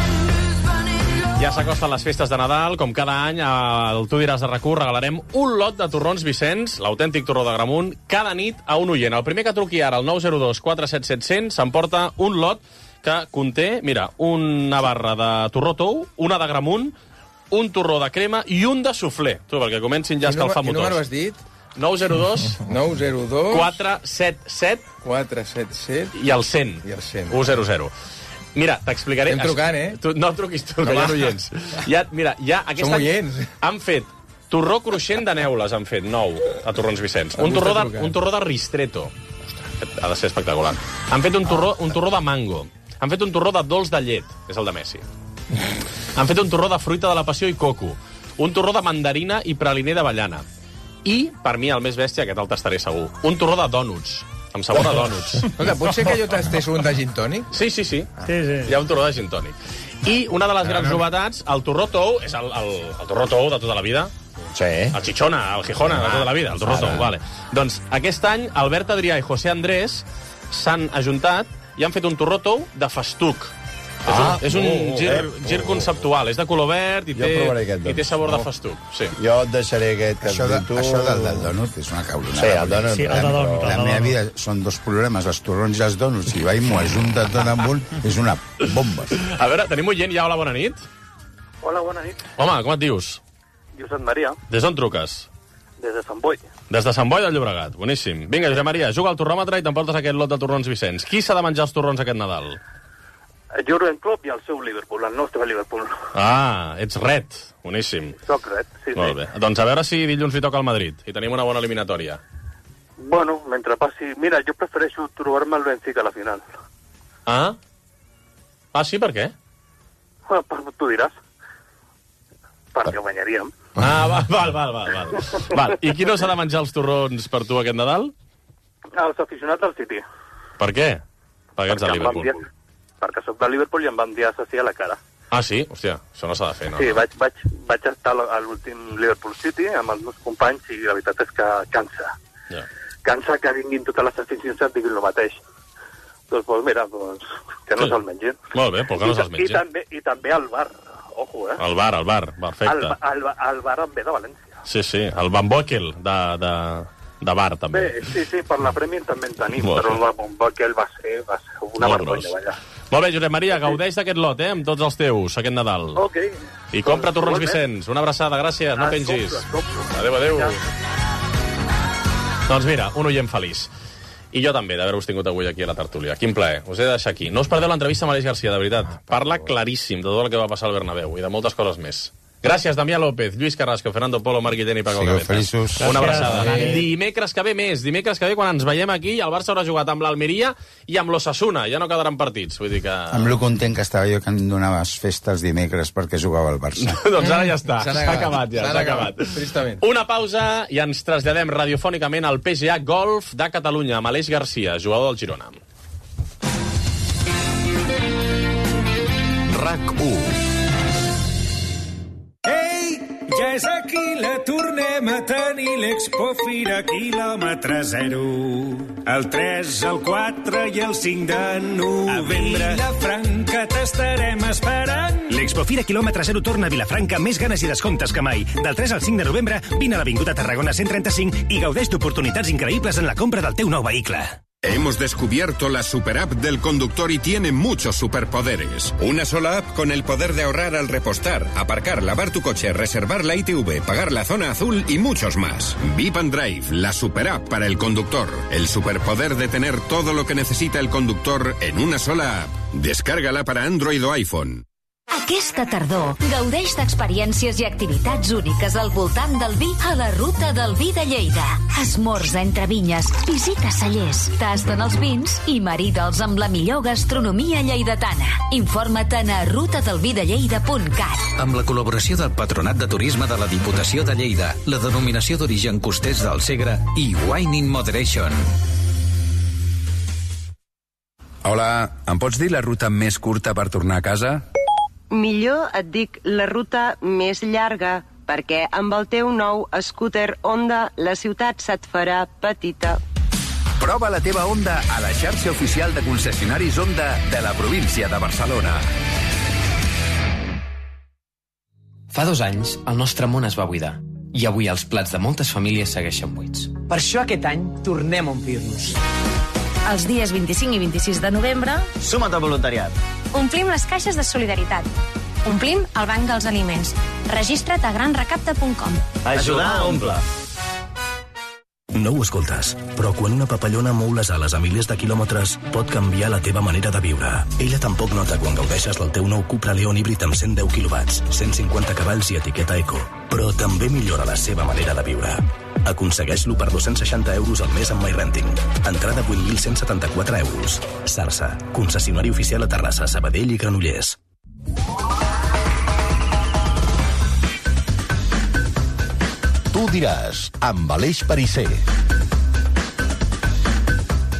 B: Ja s'acosten les festes de Nadal, com cada any, al Tu diràs de RAC1 regalarem un lot de torrons Vicenç, l'autèntic torró de Gramunt, cada nit a un oient. El primer que truqui ara al 902 477 100 s'emporta un lot que conté, mira, una barra de torró tou, una de Gramunt, un torró de crema i un de suflé. Tu, perquè comencin ja a escalfar motors.
A: Quin número has dit?
B: 902 477
A: 477
B: i el 100. 100. Mira, t'explicaré...
A: Estem trucant,
B: Tu, no truquis tu, que hi ha oients. Mira, aquest
A: Som oients.
B: Han fet torró cruixent de neules, han fet 9 a Torrons Vicenç. Un torró de ristretto. Ostres, ha de ser espectacular. Han fet un torró de mango. Han fet un torró de dolç de llet, és el de Messi. Han fet un torró de fruita de la passió i coco. Un torró de mandarina i praliner d'avellana. I, per mi, el més bèstia, aquest el tastaré segur, un torró de dònuts. Amb sabor a dònuts.
A: Escolta, pot ser que jo tastés un de gin tònic?
B: Sí. Hi ha un torró de gin tònic. I una de les grans novetats, el torró tou, és el torró tou de tota la vida.
H: Sí.
B: El Chichona, el Gijona, de tota la vida, el torró tou, vale. Doncs aquest any, Albert Adrià i José Andrés s'han ajuntat i han fet un torró tou de festuc. És un gir conceptual, és de color verd i té sabor de festuc. Sí.
H: Jo et deixaré aquest...
D: Això del dònut és una caulonada.
H: Sí, el dònut.
F: Sí, el dònut.
D: La meva vida són dos problemes, els torrons i els dònuts, i m'ho ajunta tot amb un, és una bomba.
B: A veure, tenim un gent ja, hola, bona nit.
L: Hola, bona nit.
B: Home, com et dius?
L: Josep Maria.
B: Des d'on truques?
L: Des de Sant Boi.
B: Des de Sant Boi del Llobregat, boníssim. Vinga, Josep Maria, juga al torròmetre i t'emportes aquest lot de torrons Vicenç. Qui s'ha de menjar els torrons aquest Nadal?
L: Jurgen Klopp i el seu Liverpool, el nostre Liverpool.
B: Ets red, boníssim.
L: Soc red, sí.
B: Molt bé. Doncs a veure si dilluns li toca al Madrid i tenim una bona eliminatòria.
L: Bueno, mentre passi... Mira, jo prefereixo trobar-me el Benfica a la final.
B: Sí, per què?
L: Tu diràs. Perquè ho guanyaríem.
B: Val. I qui no s'ha de menjar els torrons per tu aquest Nadal?
L: Els aficionats del City.
B: Per què? Perquè ets de Liverpool.
L: Perquè soc de Liverpool i em van dir assassí a la cara.
B: Sí? Hòstia, això no s'ha de fer, no?
L: Sí, vaig estar a l'últim Liverpool City amb els meus companys i la veritat és que cansa. Cansa que vinguin totes les aficions et diguin el mateix. Doncs mira, que no se'l mengin.
B: Molt bé, però que no se'ls mengin.
L: I també al bar. Ojo,
B: El bar, perfecte.
L: El bar em ve de València.
B: Sí, el Van Boekel de bar, també.
L: Bé, sí, per la Premier també en tenim, però el Van Boekel va ser una vergonya, vaja.
B: Molt bé, Josep Maria, gaudeix d'aquest lot, amb tots els teus, aquest Nadal.
L: Ok.
B: I compra torrons Vicenç. Una abraçada, gràcies, no pengis. Adéu. Doncs mira, un oient feliç. I jo també, d'haver-vos tingut avui aquí a la tertúlia. Quin plaer. Us he de deixar aquí. No us perdeu l'entrevista amb Aleix Garcia, de veritat. Parla claríssim de tot el que va passar al Bernabéu i de moltes coses més. Gràcies, Damià López, Lluís Carrasco, Fernando Polo, Marc Guillén i Paco Cabezas.
D: Feliços.
B: Una abraçada. Dimecres que ve més. Dimecres que ve, quan ens veiem aquí, el Barça haurà jugat amb l'Almeria i amb l'Osasuna. Ja no quedaran partits. Vull dir que...
D: Amb lo content que estava jo que em donaves festes dimecres perquè jugava al Barça.
B: Doncs ara ja està. S'ha acabat.
A: Tristament.
B: Una pausa i ens traslladem radiofònicament al PGA Golf de Catalunya amb Aleix Garcia, jugador del Girona.
K: RAC1.
M: Ja és aquí, la tornem a tenir, l'Expo Fira quilòmetre zero. El 3, el 4 i el 5 de novembre. A Vilafranca t'estarem esperant.
N: L'Expo Fira quilòmetre zero torna a Vilafranca amb més ganes i descomptes que mai. Del 3 al 5 de novembre, vine a l'Avinguda Tarragona 135 i gaudeix d'oportunitats increïbles en la compra del teu nou vehicle.
O: Hemos descubierto la superapp del conductor y tiene muchos superpoderes. Una sola app con el poder de ahorrar al repostar, aparcar, lavar tu coche, reservar la ITV, pagar la zona azul y muchos más. Vip and Drive, la superapp para el conductor. El superpoder de tener todo lo que necesita el conductor en una sola app. Descárgala para Android o iPhone.
P: Aquesta tardor, gaudeix d'experiències i activitats úniques al voltant del vi a la Ruta del Vi de Lleida. Esmorza entre vinyes, visita cellers, tasten els vins i marida'ls amb la millor gastronomia lleidatana. Informa't a rutadelvidelleida.cat.
Q: Amb la col·laboració del Patronat de Turisme de la Diputació de Lleida, la denominació d'origen costers del Segre i Wine in Moderation.
R: Hola, em pots dir la ruta més curta per tornar a casa?
S: Millor et dic la ruta més llarga, perquè amb el teu nou scooter Honda la ciutat se't farà petita.
R: Prova la teva Honda a la xarxa oficial de concessionaris Honda de la província de Barcelona.
T: Fa 2 anys, el nostre món es va buidar. I avui els plats de moltes famílies segueixen buits.
U: Per això aquest any tornem a omplir-nos.
V: Els dies 25 i 26 de novembre...
U: Suma't al voluntariat.
V: Omplim les caixes de solidaritat. Omplim el banc dels aliments. Registra't a granrecapta.com.
U: Ajudar a omplir.
W: No ho escoltes, però quan una papallona mou les ales a milers de quilòmetres pot canviar la teva manera de viure. Ella tampoc nota quan gaudeixes del teu nou Cupra León híbrid amb 110 kW, 150 cavalls i etiqueta eco, però també millora la seva manera de viure. Aconsegueix-lo per 260 euros al mes amb MyRenting. Entrada 8.174 euros. Sarsa, concessionari oficial a Terrassa, Sabadell i Granollers.
K: Tu diràs, amb Aleix Parisser.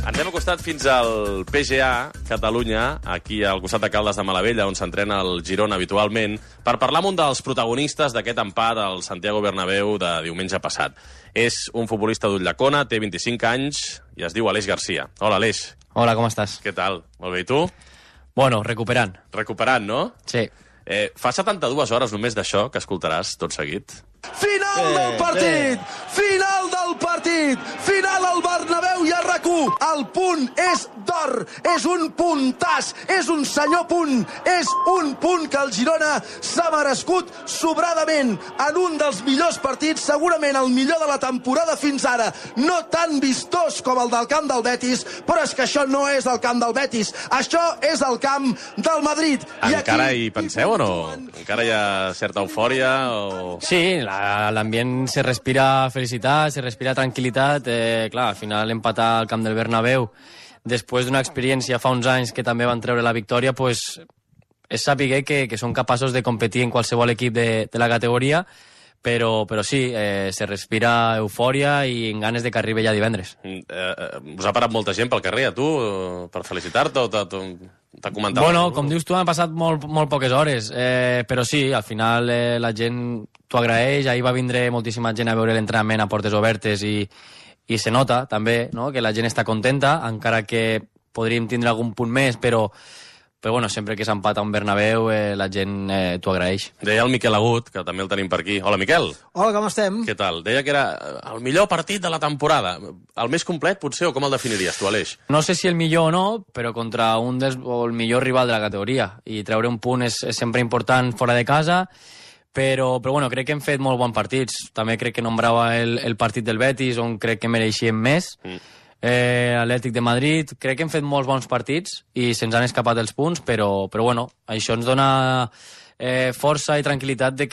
B: Ens hem costat fins al PGA Catalunya, aquí al costat de Caldes de Malavella, on s'entrena el Girona habitualment, per parlar amb un dels protagonistes d'aquest empat al Santiago Bernabéu de diumenge passat. És un futbolista d'Ulldecona, té 25 anys i es diu Aleix Garcia. Hola, Aleix.
E: Hola, com estàs?
B: Què tal? Molt bé, i tu?
E: Bueno, recuperant.
B: Recuperant, no?
E: Sí.
B: Fa 72 hores només d'això que escoltaràs tot seguit.
I: Final del partit! Final del partit! Final al Bernabéu i a RAC1! El punt és d'or! És un puntàs! És un senyor punt! És un punt que el Girona s'ha merescut sobradament en un dels millors partits, segurament el millor de la temporada fins ara. No tan vistós com el del camp del Betis, però és que això no és el camp del Betis. Això és el camp del Madrid.
B: Encara hi penseu o no? Encara hi ha certa eufòria? O...
E: Sí, l'ambient se respira felicitat, se respira tranquil·litat. Clar, al final empatar al camp del Bernabéu després d'una experiència fa uns anys que també van treure la victòria, pues, és saber que són capaços de competir en qualsevol equip de la categoria, però sí, se respira eufòria i en ganes de que arribi ja divendres.
B: Us ha parat molta gent pel carrer, a tu, per felicitar-te o t'ha comentat?
E: Bueno, com dius tu, han passat molt poques hores, però sí, al final la gent t'ho agraeix. Ahir va vindre moltíssima gent a veure l'entrenament a portes obertes i se nota també, no?, que la gent està contenta, encara que podríem tindre algun punt més, però bueno, sempre que s'empata un Bernabéu la gent t'ho agraeix.
B: Deia el Miquel Agut, que també el tenim per aquí. Hola, Miquel.
J: Hola, com estem?
B: Què tal? Deia que era el millor partit de la temporada. El més complet, potser, o com el definiries tu, Aleix?
E: No sé si el millor o no, però contra o el millor rival de la categoria. I treure un punt és sempre important fora de casa, però bueno, crec que hem fet molt bons partits. També crec que nombrava el partit del Betis, on crec que mereixíem més. Atlètic de Madrid, crec que hem fet molts bons partits i se'ns han escapat els punts, però bueno, això ens dona força i tranquil·litat de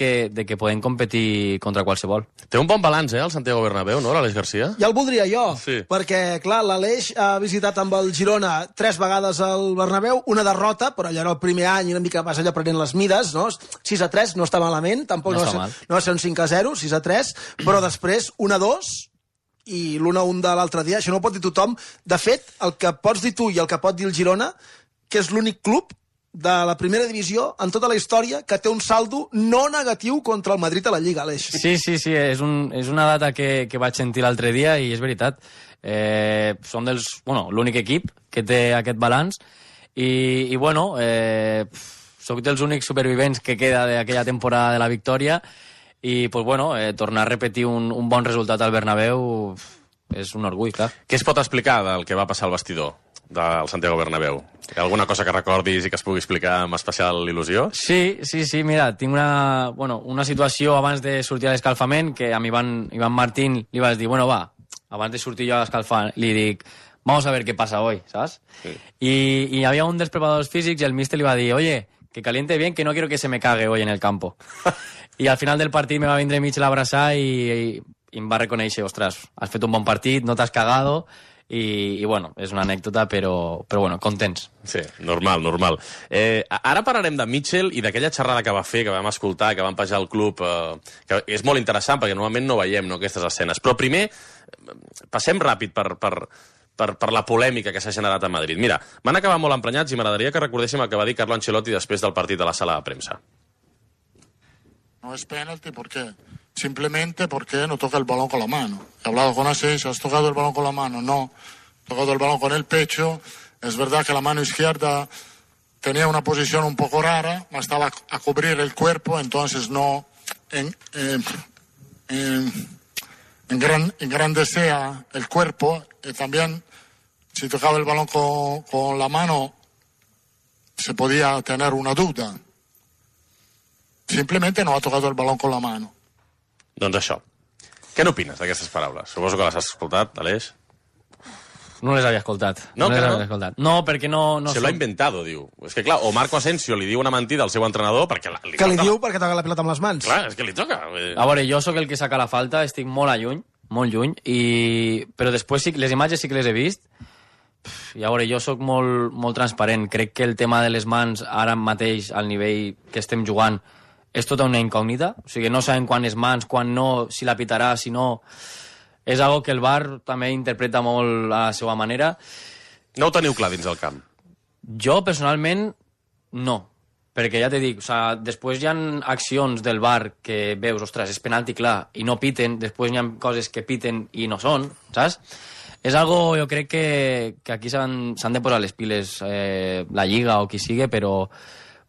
E: que podem competir contra qualsevol.
B: Té un bon balanç, el Santiago Bernabéu, no, l'Aleix Garcia?
J: Ja el voldria jo,
B: sí.
J: Perquè, clar, l'Aleix ha visitat amb el Girona 3 vegades al Bernabéu, una derrota, però allò era el primer any i una mica vas allò prenent les mides, no? 6-3, no està malament, tampoc no va ser un 5-0, 6-3, però després 1-2, i l'1-1 de l'altre dia, això no ho pot dir tothom. De fet, el que pots dir tu i el que pot dir el Girona, que és l'únic club de la primera divisió en tota la història que té un saldo no negatiu contra el Madrid a la Lliga, Aleix.
E: Sí, és una data que vaig sentir l'altre dia i és veritat. Som l'únic equip que té aquest balanç i bueno, soc dels únics supervivents que queda d'aquella temporada de la victòria. I, pues bueno, tornar a repetir un bon resultat al Bernabéu és un orgull, clar.
B: Què es pot explicar del que va passar al vestidor del Santiago Bernabéu? Hi ha alguna cosa que recordis i que es pugui explicar amb especial il·lusió?
E: Sí, mira, tinc una situació abans de sortir a l'escalfament que a Ivan Martín li vas dir, bueno, va, abans de sortir jo a l'escalfar, li dic, vamos a ver qué pasa hoy, ¿sabes? Sí. Y hi havia un dels preparadors físics i el míster li va dir, oye, que caliente bien, que no quiero que se me cague hoy en el campo. I al final del partit me va vindre mig a l'abraçar i em va reconèixer, ostres, has fet un bon partit, no t'has cagado, i bueno, és una anècdota, però bueno, contents.
B: Sí, normal. Ara parlarem de Mitchell i d'aquella xerrada que va fer, que vam escoltar, que vam penjar al club, que és molt interessant, perquè normalment no veiem aquestes escenes. Però primer, passem ràpid per la polèmica que s'ha generat a Madrid. Mira, van acabar molt emprenyats i m'agradaria que recordéssim el que va dir Carlo Ancelotti després del partit a la sala de premsa.
X: No es penalti, ¿por qué? Simplemente porque no toca el balón con la mano. He hablado con Asís, ¿has tocado el balón con la mano? No, he tocado el balón con el pecho. Es verdad que la mano izquierda tenía una posición un poco rara, estaba a cubrir el cuerpo, entonces no engrandecía el cuerpo. Y también, si tocaba el balón con la mano, se podía tener una duda. Simplemente no ha tocado el balón con la mano.
B: Doncs això. Què n'opines d'aquestes paraules? Suposo que les has escoltat, Aleix?
E: No les havia escoltat.
B: No, que no?
E: No, perquè no...
B: Se lo ha inventado, diu. És que, clar, o Marco Asensio li diu una mentida al seu entrenador perquè li
J: toca... Que li diu perquè toca la pilota amb les mans.
B: Clar, és que li toca.
E: A veure, jo sóc el que saca la falta, estic molt lluny, però després les imatges sí que les he vist, i a veure, jo sóc molt transparent. Crec que el tema de les mans, ara mateix, al nivell que estem jugant, és tota una incògnita. O sigui, no sabem quan és mans, quan no, si la pitarà, si no... És algo que el VAR també interpreta molt a la seva manera.
B: No ho teniu clar dins el camp?
E: Jo, personalment, no. Perquè ja t'he dit, després hi ha accions del VAR que veus, ostres, és penalti clar, i no piten, després hi ha coses que piten i no són, saps? És algo, jo crec que aquí s'han de posar les piles la Lliga o qui sigui, però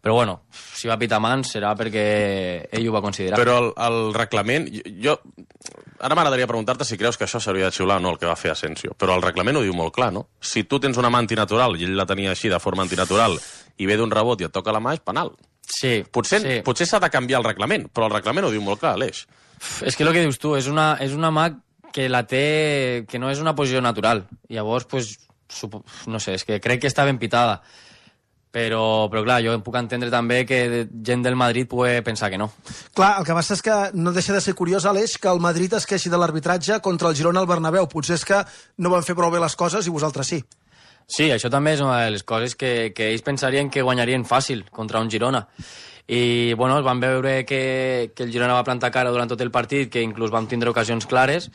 E: bueno, si va pitar mans serà perquè ell ho va considerar.
B: Però el reglament... Ara m'agradaria preguntar-te si creus que això s'hauria de xiular o no, el que va fer Asensio. Però el reglament ho diu molt clar, no? Si tu tens una mà antinatural i ell la tenia així, de forma antinatural, i ve d'un rebot i et toca la mà, és penal.
E: Sí.
B: Potser s'ha de canviar el reglament, però el reglament ho diu molt clar, Aleix.
E: És que el que dius tu, és una mà que la té... que no és una posició natural. Llavors, pues, no sé, és que crec que està ben pitada. Però clar, jo em puc entendre també que gent del Madrid pugui pensar que no.
J: Clar, el que passa és que no deixa de ser curiós, Aleix, que el Madrid es queixi de l'arbitratge contra el Girona al Bernabéu. Potser és que no van fer prou bé les coses i vosaltres sí.
E: Sí, això també és una de les coses que ells pensarien que guanyarien fàcil contra un Girona. I, bueno, van veure que el Girona va plantar cara durant tot el partit, que inclús vam tindre ocasions clares,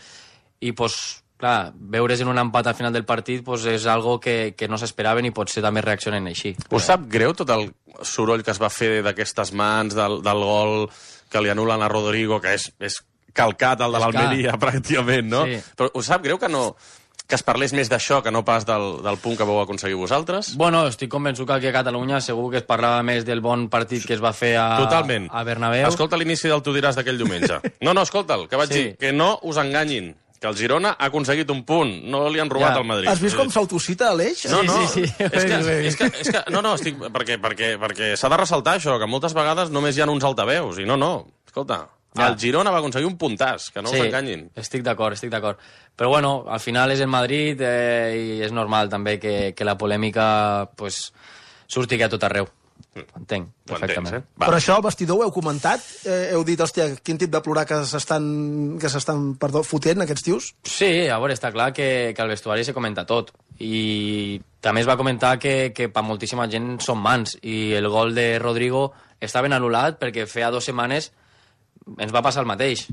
E: i, pues, clar, veure's en un empat al final del partit pues, és algo que no s'esperaven i potser també reaccionen així.
B: Us sap greu tot el soroll que es va fer d'aquestes mans, del gol que li anulen a Rodrigo, que és calcat el de l'Almeria, pràcticament, no? Sí. Però us sap greu que es parlés més d'això que no pas del punt que vau aconseguir vosaltres?
E: Bueno, estic convençut que aquí a Catalunya segur que es parlava més del bon partit que es va fer a Bernabéu.
B: Escolta l'inici del Tu diràs d'aquell diumenge. No, escolta'l, que vaig dir que no us enganyin, que el Girona ha aconseguit un punt, no li han robat al Madrid.
J: Has vist com s'autocita, Aleix?
B: No. Sí. És que estic... Perquè s'ha de ressaltar això, que moltes vegades només hi ha uns altaveus, i no, escolta, el Girona va aconseguir un puntàs, que no us enganyin.
E: Estic d'acord. Però bueno, al final és el Madrid i és normal també que la polèmica pues, surti a tot arreu. Entenc, perfectament.
J: Però això al vestidor ho heu comentat? Heu dit, hòstia, quin tip de plorar que s'estan fotent aquests tios?
E: Sí, a veure, està clar que al vestuari se comenta tot. I també es va comentar que per moltíssima gent són mans. I el gol de Rodrigo està ben anul·lat perquè feia 2 setmanes ens va passar el mateix.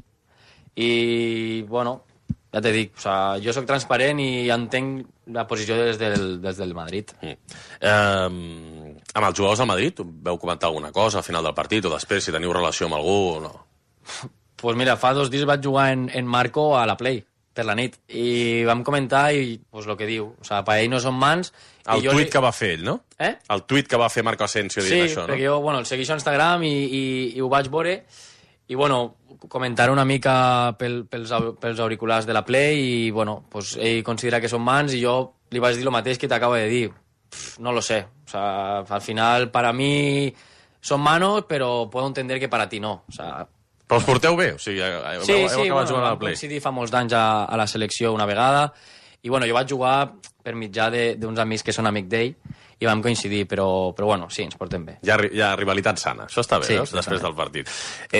E: I, bueno, ja t'he dit, jo sóc transparent i entenc la posició des del Madrid.
B: Amb els jugadors del Madrid veu comentar alguna cosa al final del partit o després, si teniu relació amb algú o no?
E: Pues mira, fa 2 dies vaig jugar en Marco a la Play, per la nit, i vam comentar i pues lo que diu, per ell no són mans...
B: El tuit que va fer ell, no? El tuit que va fer Marco Asensio dient això, no?
E: Sí, perquè jo, el segueixo a Instagram i ho vaig veure i, comentar una mica pels auriculars de la Play i, pues ell considera que són mans i jo li vaig dir el mateix que t'acabo de dir. No lo sé. Al final, para mí son manos, pero puedo entender que para ti no.
B: Però us porteu bé? O sigui, heu acabat jugant a la Play?
E: Sí, fa molts d'anys a la selecció una vegada i, jo vaig jugar per mitjà d'uns amics que són amic d'ell i vam coincidir, però sí, ens portem bé.
B: Hi ha rivalitat sana. Això està bé, sí, després del partit.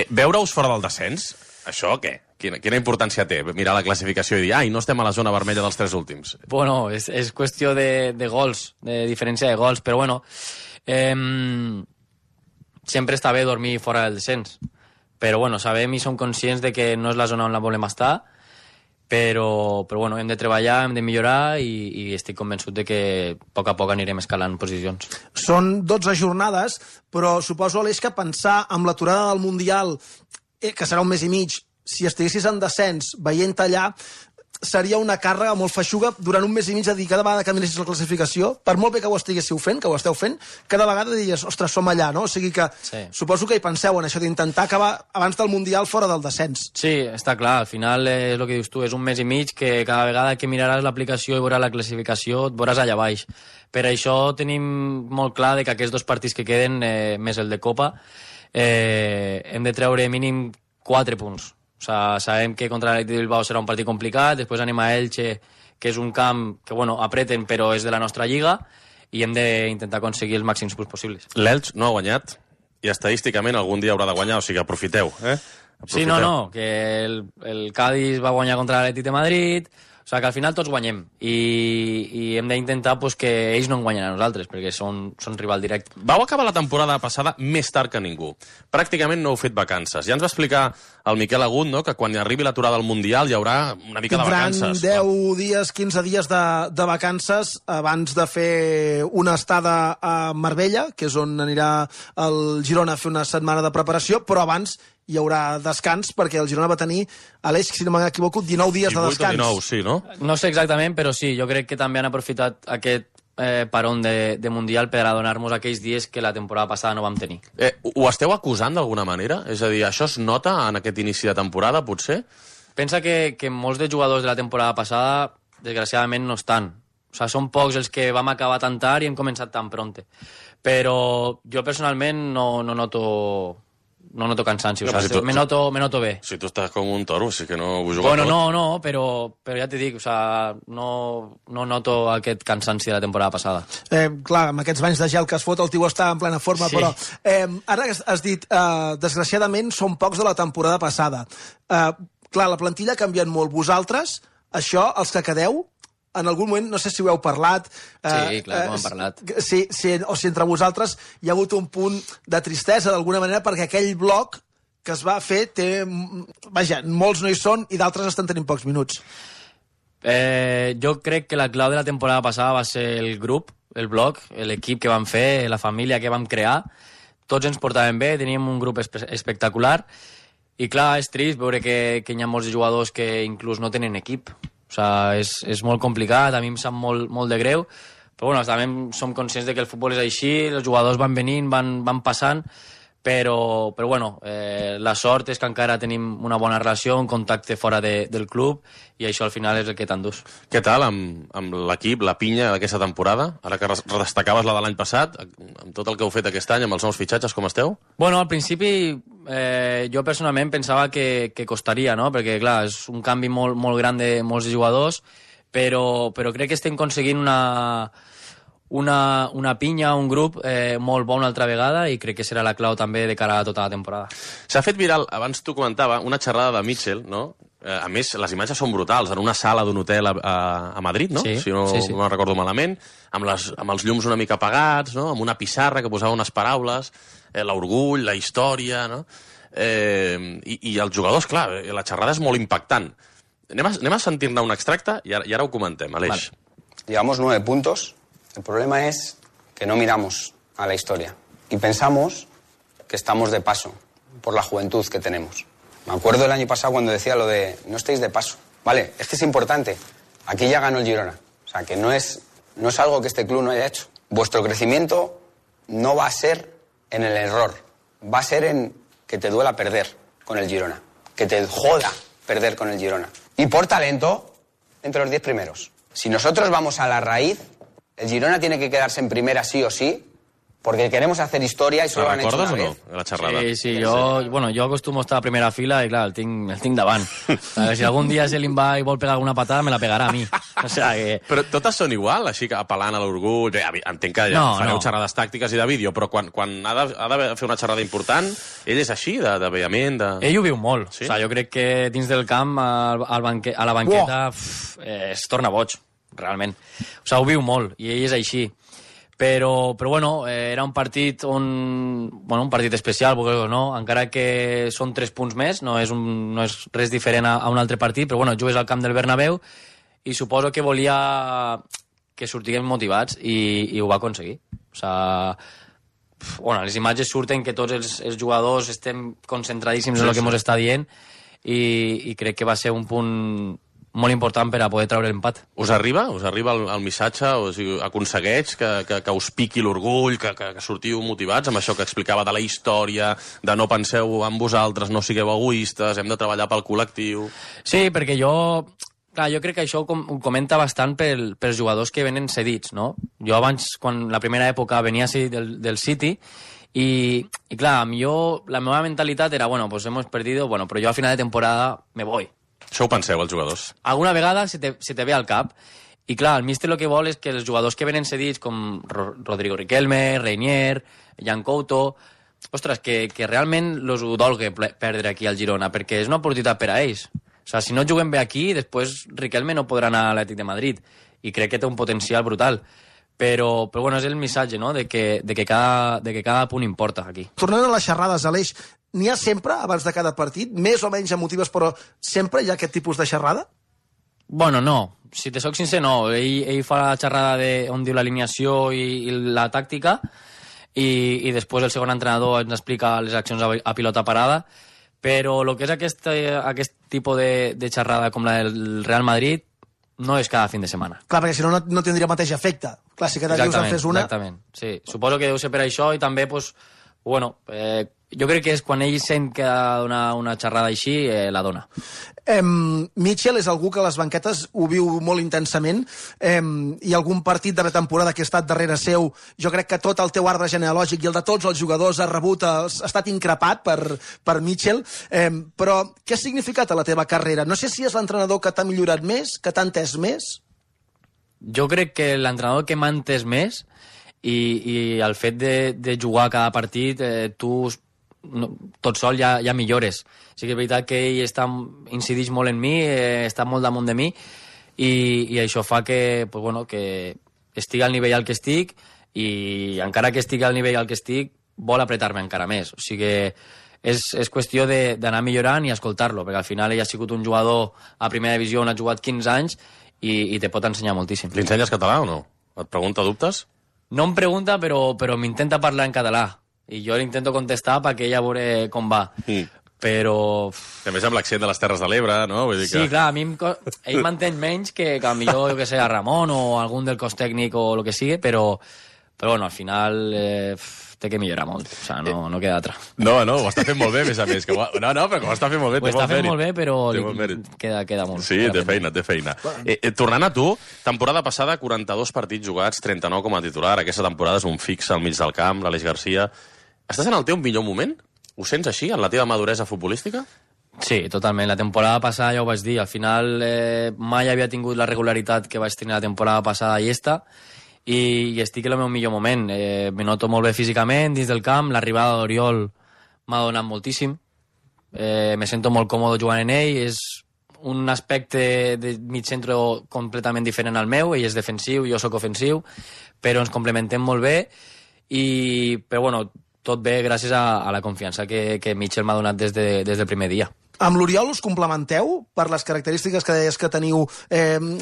B: Veure-us fora del descens, això què? Quina importància té mirar la classificació i dir no estem a la zona vermella dels 3 últims?
E: Bueno, és qüestió de gols, de diferència de gols, però sempre està bé dormir fora del descens. Però sabem i som conscients de que no és la zona on la volem estar, però hem de treballar, hem de millorar i estic convençut de que a poc anirem escalant posicions.
J: Són 12 jornades, però suposo, Aleix, que pensar amb l'aturada del Mundial, que serà un mes i mig, si estiguessis en descens veient allà, seria una càrrega molt feixuga durant un mes i mig de dir cada vegada que miressis la classificació, per molt bé que ho estiguéssiu fent, que ho esteu fent, cada vegada diries, ostres, som allà, no? O sigui que suposo que hi penseu en això d'intentar acabar abans del Mundial fora del descens.
E: Sí, està clar, al final és el que dius tu, és un mes i mig que cada vegada que miraràs l'aplicació i veuràs la classificació et veuràs allà baix. Per això tenim molt clar que aquests 2 partits que queden, més el de Copa, hem de treure mínim 4 punts. Sabem que contra l'Atlètic de Bilbao serà un partit complicat, després anem a Elche, que és un camp que, apreten, però és de la nostra lliga, i hem d'intentar aconseguir els màxims punts possibles.
B: L'Elche no ha guanyat, i estadísticament algun dia haurà de guanyar, o sigui, aprofiteu,
E: Sí, no, que el Cádiz va guanyar contra l'Atlètic de Madrid, O sigui, que al final tots guanyem i hem d'intentar pues, que ells no en guanyen a nosaltres, perquè són rival directe.
B: Vau acabar la temporada passada més tard que ningú. Pràcticament no heu fet vacances. Ja ens va explicar el Miquel Agut, no?, que quan arribi l'aturada del Mundial hi haurà una mica de vacances.
J: Tindran 10 dies, 15 dies de vacances abans de fer una estada a Marbella, que és on anirà el Girona a fer una setmana de preparació, però abans hi haurà descans, perquè el Girona va tenir, Aleix, si no m'equivoco, 19 dies de descans.
B: 19, sí, no?
E: No sé exactament, però sí, jo crec que també han aprofitat aquest parón de Mundial per a donar-nos aquells dies que la temporada passada no vam tenir.
B: Ho esteu acusant d'alguna manera? És a dir, això es nota en aquest inici de temporada, potser?
E: Pensa que molts de jugadors de la temporada passada, desgraciadament, no estan. O sigui, són pocs els que vam acabar tan tard i hem començat tan pronte. Però jo personalment no noto cansanci, o sea, me noto bé.
B: Si tu estàs com un toro, sí que no ho jugo
E: bueno,
B: tot.
E: No, però ja t'hi dic, o sea, no noto aquest cansanci de la temporada passada.
J: Clar, amb aquests banys de gel que es fot, el tio està en plena forma, sí. Però ara has dit, desgraciadament, són pocs de la temporada passada. Clar, la plantilla ha canviat molt. Vosaltres, això, els que quedeu, en algun moment, no sé si ho heu parlat...
E: Sí, clar, ho hem parlat.
J: O si entre vosaltres hi ha hagut un punt de tristesa, d'alguna manera, perquè aquell bloc que es va fer té... Vaja, molts no hi són i d'altres estan tenint pocs minuts.
E: Jo crec que la clau de la temporada passada va ser el grup, el bloc, l'equip que vam fer, la família que vam crear. Tots ens portàvem bé, teníem un grup espectacular i, clar, és trist veure que hi ha molts jugadors que inclús no tenen equip. O sigui, és molt complicat, a mi em sap molt de greu, però bueno, també som conscients de que el futbol és així, els jugadors van venint, van passant, però bueno, la sort és que encara tenim una bona relació, un contacte fora del club, i això al final és el que t'endús.
B: Què tal amb l'equip, la pinya d'aquesta temporada? Ara que destacaves la de l'any passat, amb tot el que heu fet aquest any, amb els nous fitxatges, com esteu?
E: Bueno, al principi jo personalment pensava que costaria, no? Perquè, clar, és un canvi molt gran de molts jugadors, però crec que estem aconseguint una pinya, un grup molt bon una altra vegada, i crec que serà la clau també de cara a tota la temporada.
B: S'ha fet viral, abans t'ho comentava, una xerrada de Mitchell, no? A més, les imatges són brutals, en una sala d'un hotel a Madrid, no?
E: Sí,
B: si no me'n recordo malament, amb els llums una mica apagats, no? Amb una pissarra que posava unes paraules, l'orgull, la història, no? I els jugadors, clar, la xerrada és molt impactant. Anem a sentir-ne un extracte i ara ho comentem, Aleix.
C: Vale. Llevamos 9 puntos. El problema es que no miramos a la historia y pensamos que estamos de paso por la juventud que tenemos. Me acuerdo el año pasado cuando decía lo de no estéis de paso. Vale, es que es importante. Aquí ya ganó el Girona. O sea, que no es algo que este club no haya hecho. Vuestro crecimiento no va a ser en el error. Va a ser en que te duela perder con el Girona. Que te joda perder con el Girona. Y por talento, entre los 10 primeros. Si nosotros vamos a la raíz, el Girona tiene que quedarse en primera sí o sí, porque queremos hacer historia y solo han hecho una vez.
B: ¿Recordes o no, la xerrada?
E: Sí, jo acostumo a estar a primera fila i, clar, el tinc davant. Si algun dia se li va i vol pegar alguna patada, me la pegarà a mi. O sea que...
B: Però totes són igual, així que apel·lant a l'orgull... Entenc que fareu xerrades tàctiques i de vídeo, però quan ha de fer una xerrada important, ell és així, de vehement...
E: Ell ho viu molt. Sí? O sea, jo crec que dins del camp, a la banqueta, es torna boig, realment. O sea, ho viu molt, i ell és així. Però bueno, era un partit un partit especial, no? Encara que són 3 punts més, no és res diferent a un altre partit, però bueno, jugues al camp del Bernabéu i suposo que volia que sortiguem motivats i ho va aconseguir. O sigui, les imatges surten que tots els jugadors estem concentradíssims en el que ens està dient i crec que va ser un punt molt important per a poder treure l'empat.
B: Us arriba el missatge? O sigui, aconsegueix que us piqui l'orgull, que sortiu motivats amb això que explicava de la història, de no penseu en vosaltres, no sigueu egoistes, hem de treballar pel col·lectiu...
E: Sí, perquè jo crec que això ho comenta bastant pels jugadors que venen cedits, no? Jo abans, quan la primera època venia del City, i clar, la meva mentalitat era, pues hemos perdido, però jo a final de temporada me voy.
B: Això ho penseu, els jugadors?
E: Alguna vegada se te ve al cap. I clar, el míster el que vol és que els jugadors que venen cedits, com Rodrigo Riquelme, Reinier, Jan Couto... Ostres, que realment els ho dolga perdre aquí al Girona, perquè és una oportunitat per a ells. O sigui, si no juguem bé aquí, després Riquelme no podrà anar a l'Atlètic de Madrid, i crec que té un potencial brutal. Però bueno, és el missatge, no?, de que cada punt importa aquí.
J: Tornant a les xerrades, Aleix, n'hi ha sempre, abans de cada partit, més o menys emotives, però sempre hi ha aquest tipus de xerrada?
E: Bueno, no. Si te soc sincer, no. Ell fa la xerrada on diu l'alineació i la tàctica, i després el segon entrenador ens explica les accions a pilota parada, però el que és aquest tipus de xerrada com la del Real Madrid no és cada fin de setmana.
J: Clar, perquè si no tindria el mateix efecte. Clar, si cada dius en fes una...
E: Exactament, sí. Suposo que deu ser per això, i també, pues, bueno, jo crec que és quan ell sent que ha de donar una xerrada així, la dona.
J: Mitchell és algú que a les banquetes ho viu molt intensament, i algun partit de la temporada que ha estat darrere seu, jo crec que tot el teu arbre genealògic i el de tots els jugadors ha estat increpat per Mitchell, però què ha significat a la teva carrera? No sé si és l'entrenador que t'ha millorat més, que t'ha entès més?
E: Jo crec que l'entrenador que m'ha entès més, i el fet de jugar cada partit, tu tot sol ja millores. Sí que és veritat que ell incideix molt en mi, està molt damunt de mi, i això fa que, pues bueno, que estigui al nivell al que estic, i encara que estigui al nivell al que estic, vol apretar-me encara més. O sigui que és qüestió d'anar millorant i escoltar-lo, perquè al final ell ha sigut un jugador a primera divisió on ha jugat 15 anys i te pot ensenyar moltíssim.
B: Li ensenyes català o no? Et pregunta dubtes?
E: No em pregunta, però m'intenta parlar en català. I jo l'intento contestar perquè ella veure com va. Però...
B: A més, amb l'accent de les Terres de l'Ebre, no? Vull dir que...
E: Sí, clar, a mi ell m'entén menys que millor, jo que sé, a Ramon o algun del cos tècnic o el que sigui, però bueno, al final té que millorar molt. O sigui, no queda altra.
B: No, ho està fent molt bé, a més a més. No, però que ho està fent molt bé.
E: Ho està fent molt bé, però queda molt.
B: Sí, té feina. Tornant a tu, temporada passada, 42 partits jugats, 39 com a titular. Aquesta temporada és un fix al mig del camp, l'Aleix Garcia. Estàs en el teu millor moment? Ho sents així, en la teva maduresa futbolística?
E: Sí, totalment. La temporada passada ja ho vaig dir. Al final mai havia tingut la regularitat que vaig tenir la temporada passada i i estic en el meu millor moment. Me noto molt bé físicament dins del camp. L'arribada d'Oriol m'ha donat moltíssim. Me sento molt còmode jugant en ell. És un aspecte de mig centre completament diferent al meu. Ell és defensiu, jo sóc ofensiu, però ens complementem molt bé. Però bueno, tot bé gràcies a la confiança que Mitchell m'ha donat des del primer dia.
J: Amb l'Oriol us complementeu per les característiques que deies que teniu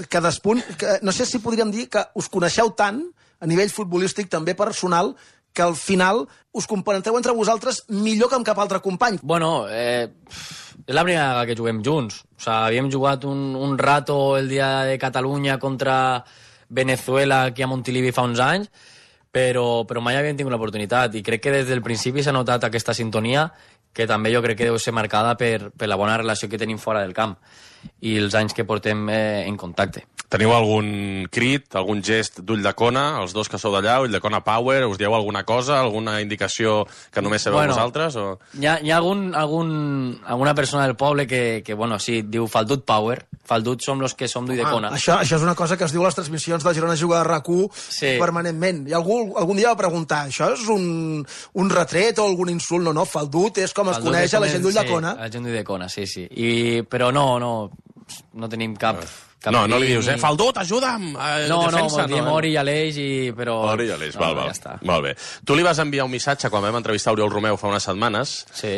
J: cadascun? No sé si podríem dir que us coneixeu tant, a nivell futbolístic, també personal, que al final us complementeu entre vosaltres millor que amb cap altre company.
E: Bueno, és la primera vegada que juguem junts. O sigui, havíem jugat un rato el dia de Catalunya contra Venezuela aquí a Montilivi fa uns anys, però mai havíem tingut l'oportunitat, i crec que des del principi s'ha notat aquesta sintonia, que també jo crec que deu ser marcada per la bona relació que tenim fora del camp i els anys que portem en contacte.
B: Teniu algun crit, algun gest d'ull de cona, els dos que sou d'allà, ull de cona power, us dieu alguna cosa, alguna indicació que només sabeu vosaltres? O...
E: Hi ha alguna persona del poble que bueno, sí, diu Faldut power, Faldut som los que som d'ull de cona.
J: Això és una cosa que es diu a les transmissions de Girona Juga a RAC1 permanentment. I algun dia va preguntar, això és un retret o algun insult? No, Faldut és com es coneix a la gent d'ull de cona.
E: La gent d'ull de cona, sí. Però no tenim cap...
B: No li dius, Faldut, ajuda'm!
E: No, diem Ori i Aleix, però...
B: Ori i Aleix, val. Ja està. Molt bé. Tu li vas enviar un missatge quan vam entrevistar Oriol Romeu fa unes setmanes,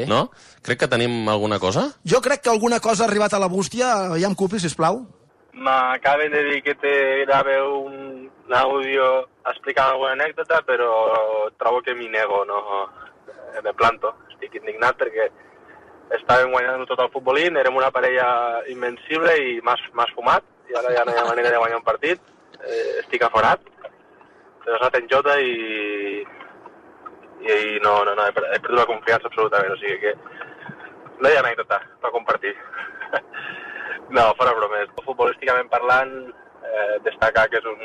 B: no? Crec que tenim alguna cosa?
J: Jo crec que alguna cosa ha arribat a la bústia. Aviam, Cupi, sisplau.
F: M'acaben de dir que te grave un audio explicant alguna anècdota, però trobo que m'hi nego, no? Me planto. Estic indignat perquè estàvem guanyant tot el futbolín, érem una parella invencible i m'has fumat, i ara ja no hi ha manera de guanyar un partit. Estic aforat, he anat en jota i no, he perdut la confiança absolutament, o sigui que no hi ha anècdota per compartir. No, fora bromes. Futbolísticament parlant, destacar que és un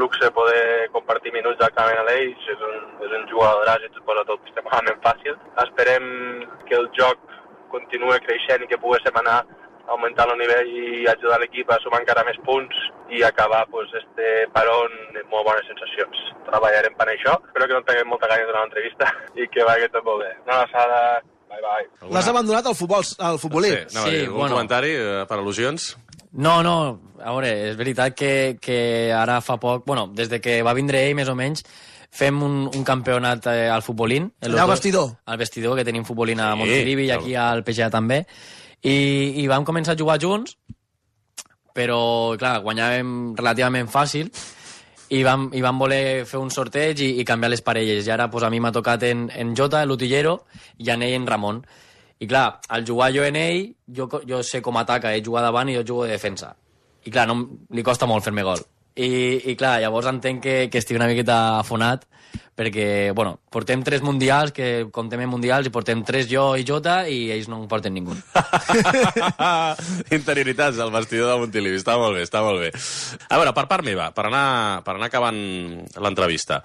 F: luxe poder compartir minuts exactament a l'Eix, és un jugadoràs i ens posa tot extremadament fàcil. Esperem que el joc continua creixent i que poguéssim anar augmentant el nivell i ajudar l'equip a sumar encara més punts i acabar este parón amb molt bones sensacions. Treballarem per això. Espero que no tinguem molta gana de donar l'entrevista i que vagi tot molt bé. Una abraçada
J: L'has abandonat al futbolit.
B: Sí, un comentari per al·lusions?
E: No, a veure, és veritat que ara fa poc, des de que va vindre ell, més o menys, fem un campionat al futbolín.
J: Allà al vestidor.
E: Al vestidor, que tenim futbolín a Montilivi i aquí al PGA també. I vam començar a jugar junts, però, clar, guanyàvem relativament fàcil i vam voler fer un sorteig i canviar les parelles. I ara a mi m'ha tocat en Jota, l'utillero, i en ell en Ramon. I clar, al jugar jo en ell, jo sé com ataca, ell juga davant i jo jugo de defensa. I clar, li costa molt fer-me gol. I clar, llavors entenc que estigui una miqueta afonat, perquè, portem 3 mundials, que comptem en mundials, i portem 3 jo i Jota, i ells no en porten ningú.
B: Interioritats al vestidor de Montilivi, està molt bé. A veure, per part meva, per anar acabant l'entrevista,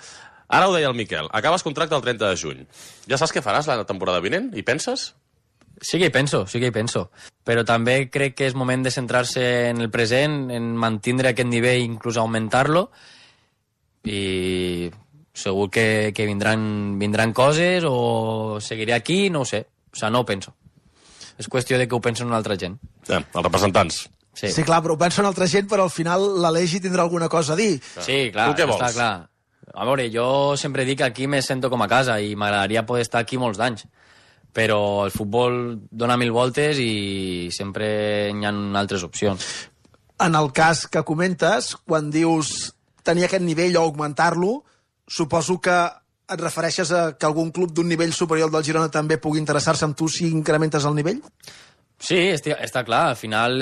B: ara ho deia el Miquel, acabes contracte el 30 de juny. Ja saps què faràs la temporada vinent? Hi penses?
E: Sí que hi penso. Però també crec que és moment de centrar-se en el present, en mantindre aquest nivell, inclús augmentar-lo, i segur que vindran coses, o seguiré aquí, no ho sé. O sigui, no ho penso. És qüestió de que ho pensen una altra gent.
B: Els representants.
J: Sí, clar, però ho pensa una altra gent, però al final l'Aleix hi tindrà alguna cosa a dir.
E: Sí, clar, està clar. A veure, jo sempre dic que aquí me sento com a casa i m'agradaria poder estar aquí molts d'anys. Però el futbol dona 1000 voltes i sempre hi ha altres opcions.
J: En el cas que comentes, quan dius tenir aquest nivell o augmentar-lo, suposo que et refereixes a que algun club d'un nivell superior del Girona també pugui interessar-se amb tu si incrementes el nivell?
E: Sí, està clar. Al final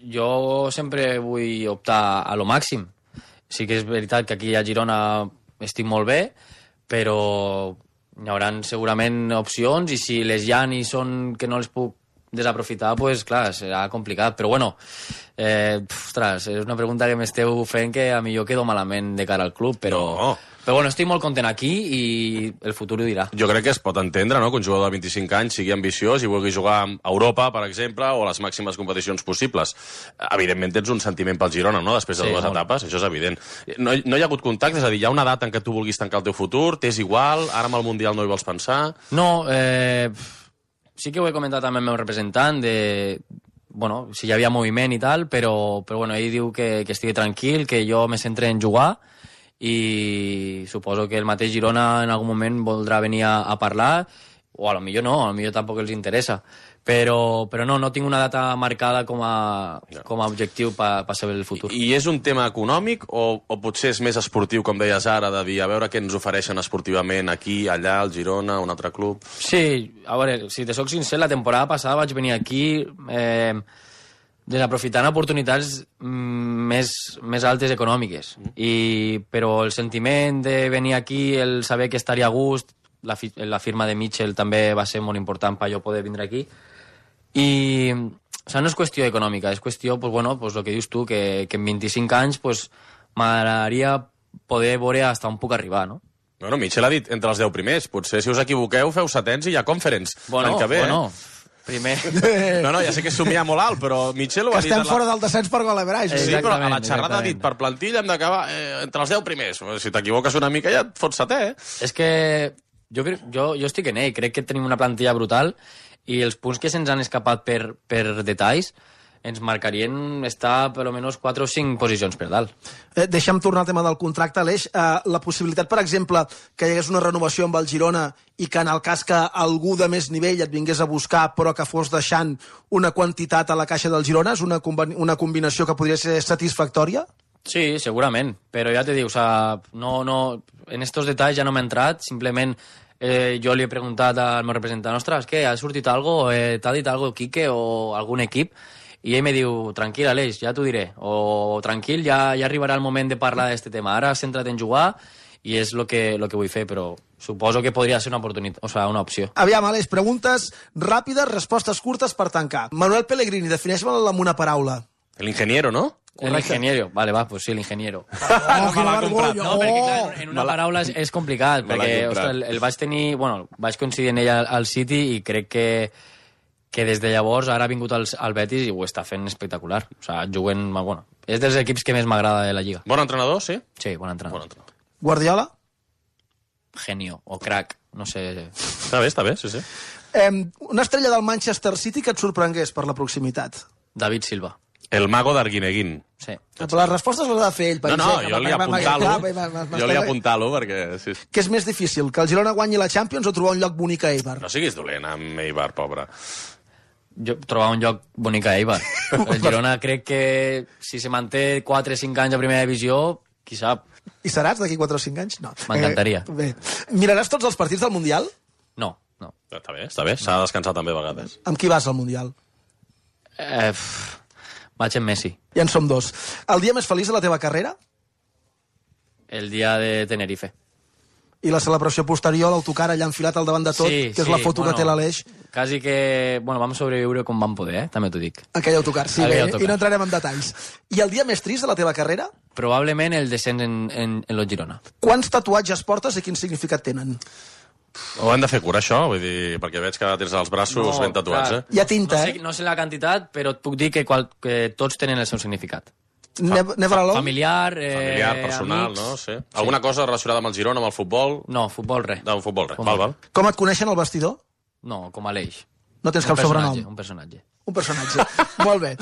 E: jo sempre vull optar a lo màxim. Sí que és veritat que aquí a Girona estic molt bé, però hi haurà segurament opcions, i si les hi ha i són que no les puc desaprofitar, doncs clar, serà complicat. Però ostres, és una pregunta que m'esteu fent que a mi jo quedo malament de cara al club, però estic molt content aquí i el futur ho dirà.
B: Jo crec que es pot entendre, no?, que un jugador de 25 anys sigui ambiciós i vulgui jugar a Europa, per exemple, o a les màximes competicions possibles. Evidentment tens un sentiment pel Girona, no?, després de dues etapes, això és evident. No hi ha hagut contacte? És a dir, hi ha una data en què tu vulguis tancar el teu futur? T'és igual? Ara amb el Mundial no hi vols pensar?
E: No, sí que ho he comentat amb el meu representant, si hi havia moviment i tal, però ell diu que estigui tranquil, que jo me centre en jugar, i suposo que el mateix Girona en algun moment voldrà venir a parlar, o a lo millor no, a lo millor tampoc els interessa, però no tinc una data marcada com a objectiu per saber el futur.
B: I és un tema econòmic o potser és més esportiu, com deies ara, de dir a veure què ens ofereixen esportivament aquí, allà, al Girona, un altre club?
E: Sí, a veure, si te soc sincer, la temporada passada vaig venir aquí desaprofitant oportunitats més altes econòmiques. Però el sentiment de venir aquí, el saber que estaria a gust, la firma de Mitchell també va ser molt important per jo poder vindre aquí. I no és qüestió econòmica, és qüestió, el que dius tu, que en 25 anys m'agradaria poder veure fins on puc arribar, no?
B: Bueno, Mitchell ha dit entre els 10 primers. Potser si us equivoqueu feu setens i hi ha conference l'any que ve.
E: Primer.
B: No, ja sé que és somiar molt alt, però Mitchell ho ha dit...
J: Que estem fora del descens per gol average.
B: Sí, però a la xerrada ha dit, per plantilla hem d'acabar entre els 10 primers. Si t'equivoques una mica ja et fots setè,
E: És que jo estic en ell, crec que tenim una plantilla brutal i els punts que se'ns han escapat per detalls ens marcarien estar per almenys 4 o 5 posicions per dalt.
J: Deixa'm tornar al tema del contracte, Aleix. La possibilitat, per exemple, que hi hagués una renovació amb el Girona i que en el cas que algú de més nivell et vingués a buscar però que fos deixant una quantitat a la caixa del Girona, és una combinació que podria ser satisfactòria?
E: Sí, segurament, però ja te dic, en estos detalls ja no m'he entrat, simplement jo li he preguntat al meu representant, ostres, què, ha sortit algo, t'ha dit algo Quique o algun equip? I ell me diu, tranquil, Aleix, ja t'ho diré. O tranquil, ja arribarà el moment de parlar d'aquest tema. Ara centra't en jugar i és el que vull fer, però suposo que podria ser una oportunitat, una opció.
J: Aviam, Aleix, preguntes ràpides, respostes curtes per tancar. Manuel Pellegrini, defineix-me'l amb una paraula.
B: L'ingeniero, no?
E: El ingeniero. Vale, pues sí, l'ingeniero.
J: Quina vergonya!
E: No, perquè clar, en una paraula és complicat, perquè el vaig tenir... vaig coincidir en ell al City i crec que des de llavors ara ha vingut al Betis i ho està fent espectacular. Juguen... és dels equips que més m'agrada de la Lliga.
B: Bon entrenador, sí?
E: Sí, bon entrenador.
J: Guardiola?
E: Genio, o crack, no sé...
B: Està bé, sí.
J: Una estrella del Manchester City que et sorprengués per la proximitat.
E: David Silva.
B: El mago d'Arguineguín.
E: Sí.
J: Però les respostes les ha de fer ell.
B: No, jo li apuntar-lo perquè... Sí.
J: Què és més difícil, que el Girona guanyi la Champions o trobar un lloc bonic a Eibar?
B: No siguis dolent amb Eibar, pobre.
E: Jo trobar un lloc bonic a Eibar. El Girona crec que si se manté 4 o 5 anys a primera divisió, qui sap.
J: I seràs d'aquí 4 o 5 anys? No.
E: M'encantaria.
J: Bé. Miraràs tots els partits del Mundial?
E: No.
B: Està bé. S'ha de descansar també a vegades.
J: Amb qui vas al Mundial?
E: Vaig amb Messi.
J: Ja en som 2. El dia més feliç de la teva carrera?
E: El dia de Tenerife.
J: I la celebració posterior, l'autocar allà enfilat al davant de tot, que és la foto que té l'Aleix.
E: Quasi que... Vam sobreviure com vam poder, també t'ho dic.
J: Aquell autocar, sí, bé, i no entrarem en detalls. I el dia més trist de la teva carrera?
E: Probablement el descens en el Girona.
J: Quants tatuatges portes i quin significat tenen?
B: Ho hem de fer cura, això? Vull dir, perquè veig que tens els braços ben tatuats,
J: Hi ha tinta,
E: No sé la quantitat, però et puc dir que tots tenen el seu significat.
J: Never alone?
E: Familiar,
B: personal,
E: amics.
B: no? Sí. Alguna cosa relacionada amb el Girona, amb el futbol?
E: No, futbol res.
B: No, futbol res. Val.
J: Com et coneixen al vestidor?
E: No, com a l'Eix.
J: No tens cap sobrenom?
E: Un personatge.
J: Un personatge. Molt bé.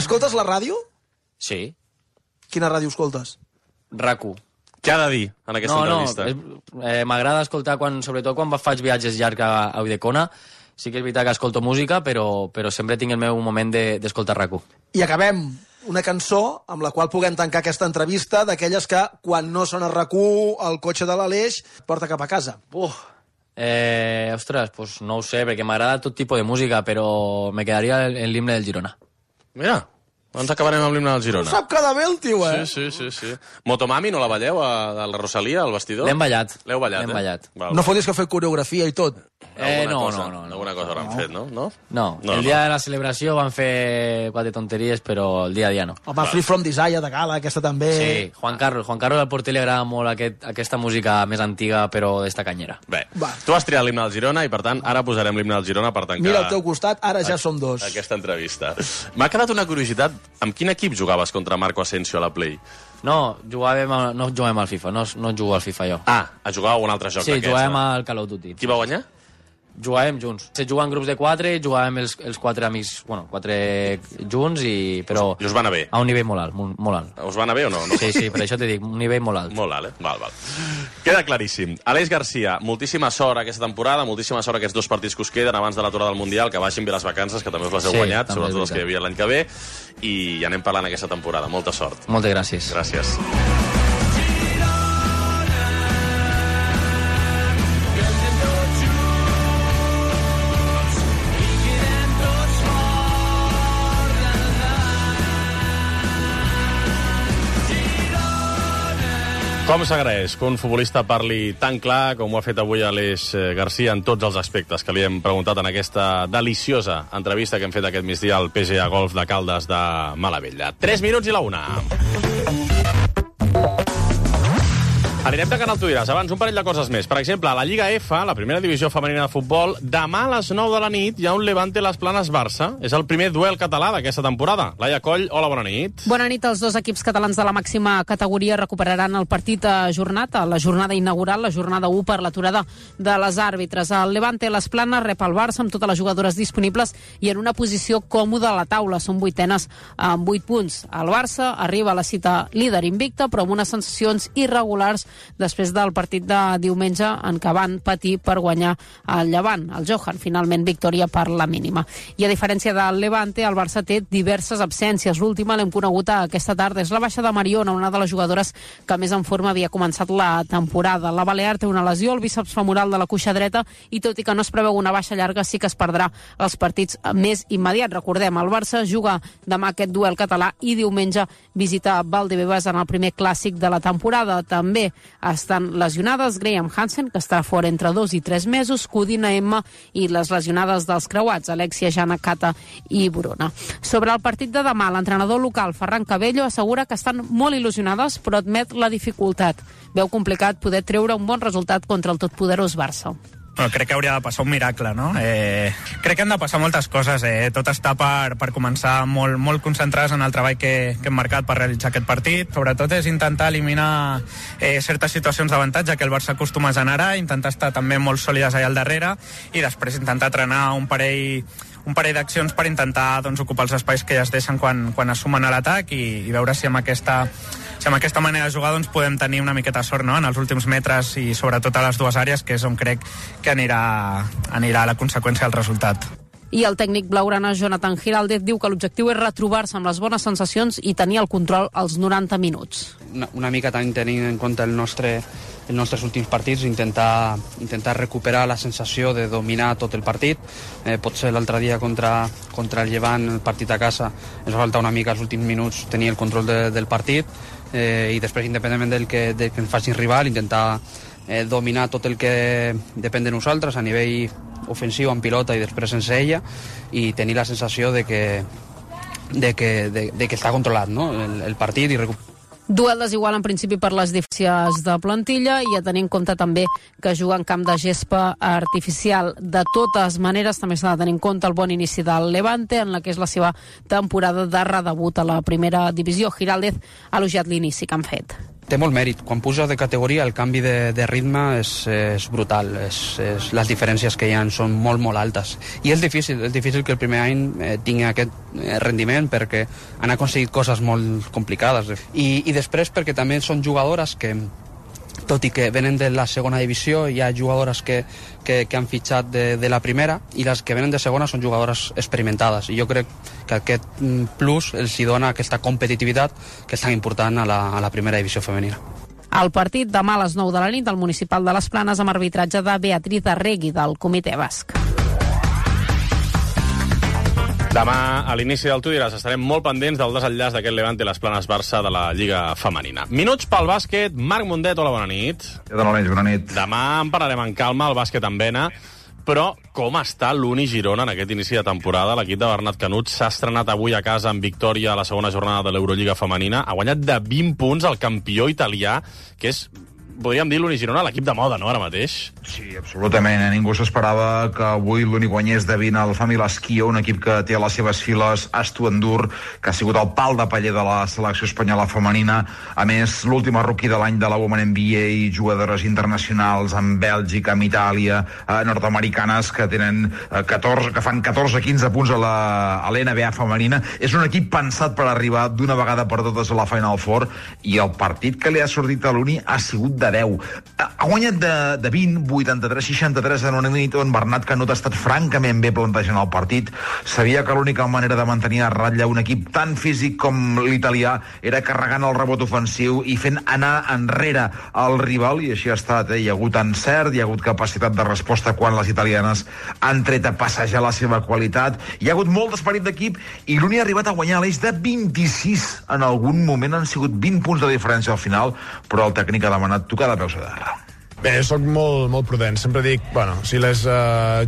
J: Escoltes la ràdio?
E: Sí.
J: Quina ràdio escoltes?
E: RAC1.
B: Què ha de dir en aquesta entrevista?
E: M'agrada escoltar, sobretot quan faig viatges llargs a Ulldecona. Sí que és veritat que escolto música, però sempre tinc el meu moment d'escoltar RAC1.
J: I acabem una cançó amb la qual puguem tancar aquesta entrevista, d'aquelles que, quan no sona RAC1, el cotxe de l'Aleix porta cap a casa.
E: Ostres, pues no ho sé, perquè m'agrada tot tipus de música, però me quedaria l'himne del Girona.
B: Mira, ens acabarem amb l'himne del Girona.
J: No sap cada bé el tio,
B: Sí. Motomami, no la balleu a la Rosalia, al vestidor?
E: L'hem ballat.
B: L'heu ballat,
J: No fotis que fer coreografia i tot.
E: No.
B: Alguna cosa hauran fet, no?
E: No, el dia de la celebració van fer 4 tonteries, però el dia a dia no.
J: Home, Free From Desire de Gala, aquesta també.
E: Sí, Juan Carlos al porter li agrada molt aquesta música més antiga, però d'esta canyera.
B: Bé, tu has triat l'himne del Girona i, per tant, ara posarem l'himne del Girona per tancar...
J: Mira al teu costat, ara ja som 2.
B: Aquesta entrevista. M'ha quedat una curiositat. Amb quin equip jugaves contra Marco Asensio a la Play?
E: No juguem al FIFA, no jugo al FIFA jo.
B: Jugàveu a un altre joc d'aquests?
E: Sí, juguem al Call of Duty.
B: Qui va guanyar?
E: Jugàvem junts. Se juga en grups de 4, jugàvem els 4 amics, 4 junts, però...
B: I us va anar bé?
E: A un nivell molt alt, molt alt.
B: Us va anar bé o no?
E: Sí, per això t'he dit, un nivell molt alt.
B: Molt alt, Val. Queda claríssim. Aleix Garcia, moltíssima sort aquesta temporada, moltíssima sort aquests 2 partits que us queden abans de l'aturada del Mundial, que vagin bé les vacances, que també us les heu guanyat, sobretot els que hi havia l'any que ve, i anem parlant aquesta temporada. Molta sort.
E: Moltes gràcies.
B: Gràcies. Com s'agraeix que un futbolista parli tan clar com ho ha fet avui Aleix Garcia en tots els aspectes que li hem preguntat en aquesta deliciosa entrevista que hem fet aquest migdia al PGA Golf de Caldes de Malavella. 3 minuts i la 1. Anirem de Canal Tu diràs. Abans, un parell de coses més. Per exemple, a la Lliga F, la primera divisió femenina de futbol, demà a les 9 de la nit hi ha un Levante Las Planes Barça. És el primer duel català d'aquesta temporada. Laia Coll, hola, bona nit.
D: Bona nit. Els 2 equips catalans de la màxima categoria recuperaran el partit ajornat a la jornada inaugural, la jornada 1 per l'aturada de les àrbitres. El Levante Las Planes rep el Barça amb totes les jugadores disponibles i en una posició còmoda a la taula. Són 8enes amb 8 punts. El Barça arriba a la cita líder invicta, però amb unes sensacions irregulars després del partit de diumenge en què van patir per guanyar el Llevant. El Johan, finalment, victòria per la mínima. I a diferència del Levante, el Barça té diverses absències. L'última l'hem conegut aquesta tarda. És la baixa de Mariona, una de les jugadores que més en forma havia començat la temporada. La Balear té una lesió al bíceps femoral de la cuixa dreta i tot i que no es preveu una baixa llarga, sí que es perdrà els partits més immediats. Recordem, el Barça juga demà aquest duel català i diumenge visita Valdebebas en el primer clàssic de la temporada. També estan lesionades Graham Hansen, que estarà fora entre 2 i 3 mesos, Codina Emma i les lesionades dels creuats, Alexia, Jana, Cata i Bruna. Sobre el partit de demà, l'entrenador local Ferran Cabello assegura que estan molt il·lusionades, però admet la dificultat. Veu complicat poder treure un bon resultat contra el totpoderós Barça.
A: Crec que hauria de passar un miracle, no? Crec que han de passar moltes coses. Tot està per començar molt concentrats en el treball que hem marcat per realitzar aquest partit. Sobretot és intentar eliminar certes situacions d'avantatge que el Barça acostuma a generar, intentar estar també molt sòlides allà al darrere i després intentar trenar un parell d'accions per intentar ocupar els espais que ja es deixen quan es sumen a l'atac i veure si amb aquesta manera de jugar podem tenir una miqueta sort, no?, en els últims metres i sobretot a les dues àrees, que és on crec que anirà la conseqüència del resultat.
D: I el tècnic blaugrana Jonathan Giraldez diu que l'objectiu és retrobar-se amb les bones sensacions i tenir el control als 90 minuts.
G: Una mica també tenint en compte els nostres últims partits, intentar recuperar la sensació de dominar tot el partit. Potser l'altre dia contra el Llevant, el partit a casa, ens va faltar una mica els últims minuts tenir el control del partit i després, independentment del que ens faci el rival, intentar dominar tot el que depèn de nosaltres a nivell ofensiu, en pilota i després sense ella, i tenir la sensació de que està controlat, no?, el partit i recuperar.
D: Duel desigual en principi per les diferències de plantilla i a tenir en compte també que juga en camp de gespa artificial. De totes maneres, també s'ha de tenir en compte el bon inici del Levante, en la que és la seva temporada de redebut a la primera divisió. Giraldez ha elogiat l'inici que han fet.
G: Té molt mèrit. Quan puja de categoria el canvi de ritme és brutal. Les diferències que hi ha són molt altes. I és difícil que el primer any tingui aquest rendiment perquè han aconseguit coses molt complicades. I després perquè també són jugadores que, tot i que venen de la segona divisió, hi ha jugadores que han fitxat de la primera i les que venen de segona són jugadores experimentades. I jo crec que aquest plus els hi dona aquesta competitivitat que és tan important a la primera divisió femenina.
D: El partit demà a les 9 de la nit al Municipal de les Planes amb arbitratge de Beatriz Arregui del Comitè Basc.
B: Demà, a l'inici del Tu diràs, estarem molt pendents del desenllaç d'aquest Levante les Planes Barça de la Lliga Femenina. Minuts pel bàsquet. Marc Mundet, hola, bona nit.
H: Bona nit.
B: Demà en parlarem en calma, el bàsquet en vena, però com està l'Uni Girona en aquest inici de temporada? L'equip de Bernat Canut s'ha estrenat avui a casa amb victòria a la segona jornada de l'Eurolliga Femenina. Ha guanyat de 20 punts el campió italià, que és, podríem dir, l'Uni Girona, l'equip de moda, no?, ara mateix.
H: Sí, absolutament. Ningú s'esperava que avui l'únic guanyés de 20 el Family Esquio, un equip que té a les seves files Astu Endur, que ha sigut el pal de paller de la selecció espanyola femenina. A més, l'última rookie de l'any de la Women NBA, jugadores internacionals amb Bèlgica, amb Itàlia, nord-americanes que tenen que fan 14-15 punts a l'NBA femenina. És un equip pensat per arribar d'una vegada per totes a la Final Four, i el partit que li ha sortit a l'Uni ha sigut de 10. Ha guanyat de 20, 83-63 en una nit on Bernat Canut ha estat francament bé plantejant el partit. Sabia que l'única manera de mantenir a ratlla un equip tan físic com l'italià era carregant el rebot ofensiu i fent anar enrere el rival, i així ha estat. Hi ha hagut encert, hi ha hagut capacitat de resposta quan les italianes han tret a passejar la seva qualitat. Hi ha hagut molt d'esperit d'equip i l'Uni ha arribat a guanyar a l'eix de 26. En algun moment han sigut 20 punts de diferència al final, però el tècnic ha demanat tocar de peus a terra.
L: Bé, soc molt prudent. Sempre dic, si les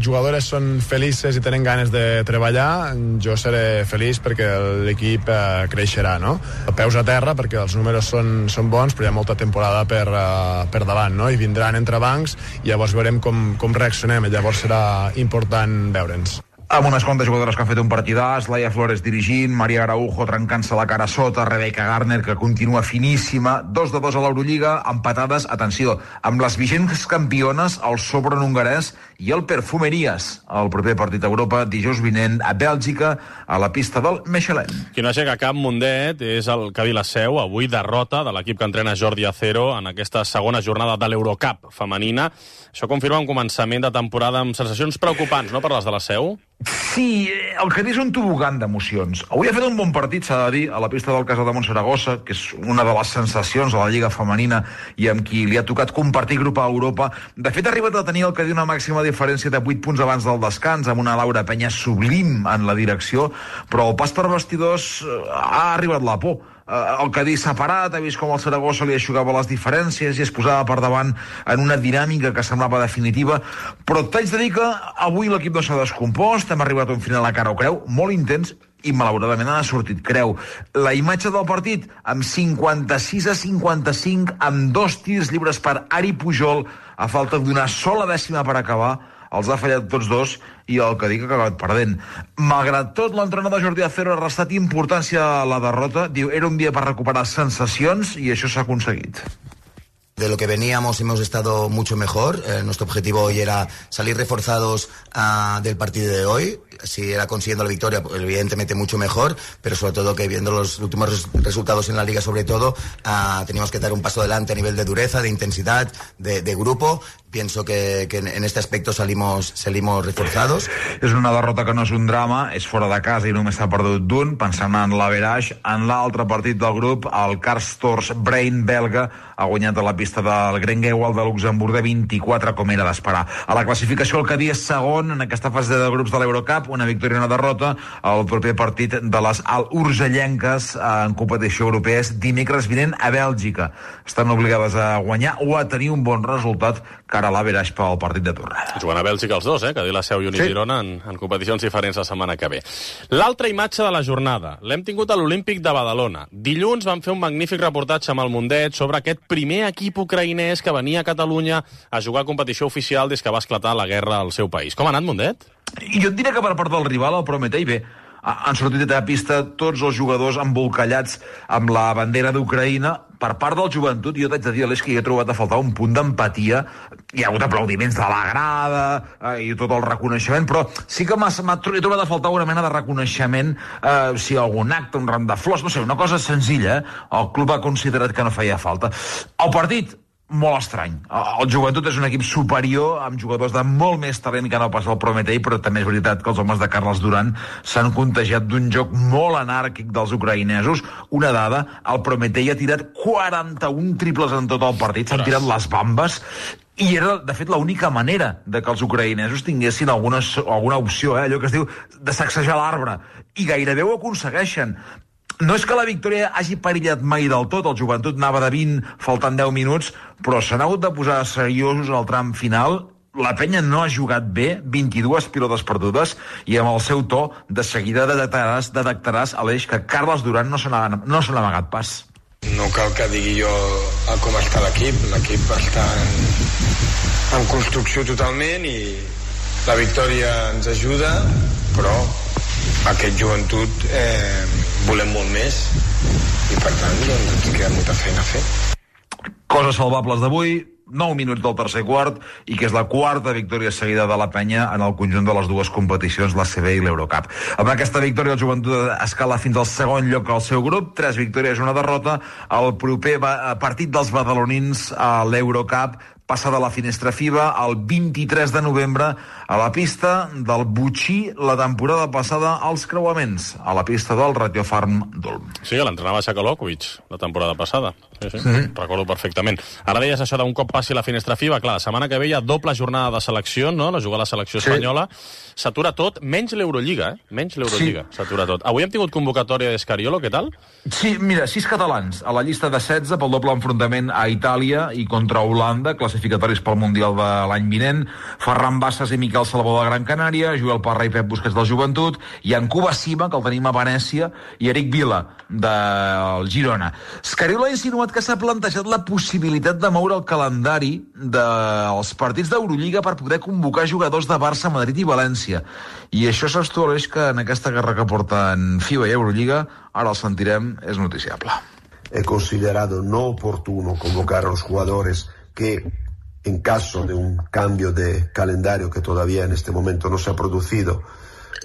L: jugadores són felices i tenen ganes de treballar, jo seré feliç perquè l'equip creixerà, no? Peus a terra, perquè els números són bons, però hi ha molta temporada per davant, no? I vindran entrebancs, i llavors veurem com reaccionem, i llavors serà important veure'ns.
H: Amb unes quantes jugadores que han fet un partidàs, Laia Flores dirigint, Maria Araujo trencant-se la cara sota, Rebecca Garner, que continua finíssima, 2-2 a l'Eurolliga, empatades, atenció, amb les vigents campiones, el Sopron hongarès i el Perfumeries. El proper partit a Europa, dijous vinent, a Bèlgica, a la pista del Mechelen.
B: Qui no aixeca cap, Mundet, és el Cadí la Seu, avui derrota de l'equip que entrena Jordi Acero en aquesta segona jornada de l'Eurocup femenina. Això confirma un començament de temporada amb sensacions preocupants, no?, per les de la Seu?
H: Sí, el Cadí és un tobogan d'emocions. Avui ha fet un bon partit, s'ha de dir, a la pista del Casademont Saragossa, que és una de les sensacions de la Lliga Femenina i amb qui li ha tocat compartir grup a Europa. De fet, ha arribat a tenir el Cadí una màxima diferència de 8 punts abans del descans, amb una Laura Penya sublim en la direcció, però el pas per vestidors ha arribat la por. El Cadí s'ha parat, ha vist com el Saragossa li aixugava les diferències i es posava per davant en una dinàmica que semblava definitiva, però t'haig de dir que avui l'equip no s'ha descompost, hem arribat a un final a cara o creu, molt intens, i malauradament ha sortit creu. La imatge del partit, amb 56-55, amb 2 tirs lliures per Ari Pujol, a falta d'una sola dècima per acabar, els ha fallat tots dos i el que dic ha acabat perdent. Malgrat tot, l'entrenador Jordi Acero ha restat importància a la derrota. Diu, era un dia per recuperar sensacions i això s'ha aconseguit.
M: De lo que veníamos hemos estado mucho mejor. Nuestro objetivo hoy era salir reforzados del partido de hoy. Si era consiguiendo la victoria, pues, evidentemente mucho mejor, pero sobre todo que viendo los últimos resultados en la Liga, sobre todo, teníamos que dar un paso adelante a nivel de dureza, de intensidad, de grupo. Pienso que en este aspecto salimos reforzados.
H: És una derrota que no és un drama, és fora de casa i només s'ha perdut d'un. Pensant en l'Average, en l'altre partit del grup, el Karstors Brain belga ha guanyat a la pista del Grengewald de Luxemburg de 24, com era d'esperar. A la classificació el Cadí és segon en aquesta fase de grups de l'Eurocup, una victòria i una derrota. El proper partit de les Al-Urgellenques en competició europea és dimecres vinent a Bèlgica. Estan obligades a guanyar o a tenir un bon resultat cara a l'Average pel partit de tornada.
B: Jugant a Bèlgica els dos, que dir la Seu i Uni Girona en competicions diferents la setmana que ve. L'altra imatge de la jornada l'hem tingut a l'Olímpic de Badalona. Dilluns vam fer un magnífic reportatge amb el Mundet sobre aquest primer equip ucraïnès que venia a Catalunya a jugar a competició oficial des que va esclatar la guerra al seu país. Com ha anat, Mundet?
H: Jo et diré que per part del rival, el Prometei, bé, han sortit a pista tots els jugadors embolcallats amb la bandera d'Ucraïna. Per part del Joventut, jo t'haig de dir, Aleix, que hi he trobat a faltar un punt d'empatia. Hi ha hagut aplaudiments de la grada i tot el reconeixement, però sí que he trobat a faltar una mena de reconeixement, si algun acte, un ram de flors, no sé, una cosa senzilla. El club ha considerat que no feia falta. El partit, molt estrany. El Joventut és un equip superior, amb jugadors de molt més talent que no pas el Prometei, però també és veritat que els homes de Carles Duran s'han contagiat d'un joc molt anàrquic dels ucraïnesos. Una dada, el Prometei ha tirat 41 triples en tot el partit, s'han tirat les bambes, i era, de fet, l'única manera de que els ucraïnesos tinguessin alguna opció, allò que es diu de sacsejar l'arbre, i gairebé ho aconsegueixen. No és que la victòria hagi perillat mai del tot, el Joventut anava de 20, faltant 10 minuts, però s'han hagut de posar seriosos al tram final. La penya no ha jugat bé, 22 pilotes perdudes, i amb el seu to de seguida detectaràs, Aleix, que Carles Duran no se n'ha amagat pas.
N: No cal que digui jo com està l'equip. L'equip està en construcció totalment i la victòria ens ajuda, però aquest Joventut volem molt més i per tant doncs, ens queda molta feina a fer.
H: Coses salvables d'avui, 9 minuts del tercer quart, i que és la quarta victòria seguida de la penya en el conjunt de les dues competicions, la CB i l'Eurocup. Amb aquesta victòria el Joventut escala fins al segon lloc al seu grup, 3 victòries i una derrota. El proper partit dels badalonins a l'Eurocup passada la finestra FIBA el 23 de novembre a la pista del Butxí, la temporada passada als creuaments, a la pista del Ratio Farm d'Ulm.
B: Sí, l'entrenava Sakalovic la temporada passada. Sí. Recordo perfectament. Ara deies això d'un cop passi la finestra FIBA. Clar, la setmana que ve hi ha doble jornada de selecció, no? La jugar la selecció espanyola. S'atura tot, menys l'Eurolliga, Menys l'Eurolliga. S'atura tot. Avui hem tingut convocatòria d'Escariolo, què tal?
H: Sí, mira, 6 catalans a la llista de 16 pel doble enfrontament a Itàlia i contra Holanda, classificatoris pel Mundial de l'any vinent. Ferran Bassas i Miquel Salvador de Gran Canària, Joel Parra i Pep Busquets del Joventut, i en Cuba Sima, que el tenim a Venècia, i Eric Vila, del Girona. Escariolo ha insinuat que s'ha plantejat la possibilitat de moure el calendari dels partits d'Eurolliga per poder convocar jugadors de Barça, Madrid i València. I això s'estableix que en aquesta guerra que porten FIBA i Eurolliga, ara el sentirem, és noticiable.
O: He considerado no oportuno convocar a los jugadores que, en caso de un cambio de calendario que todavía en este momento no se ha producido,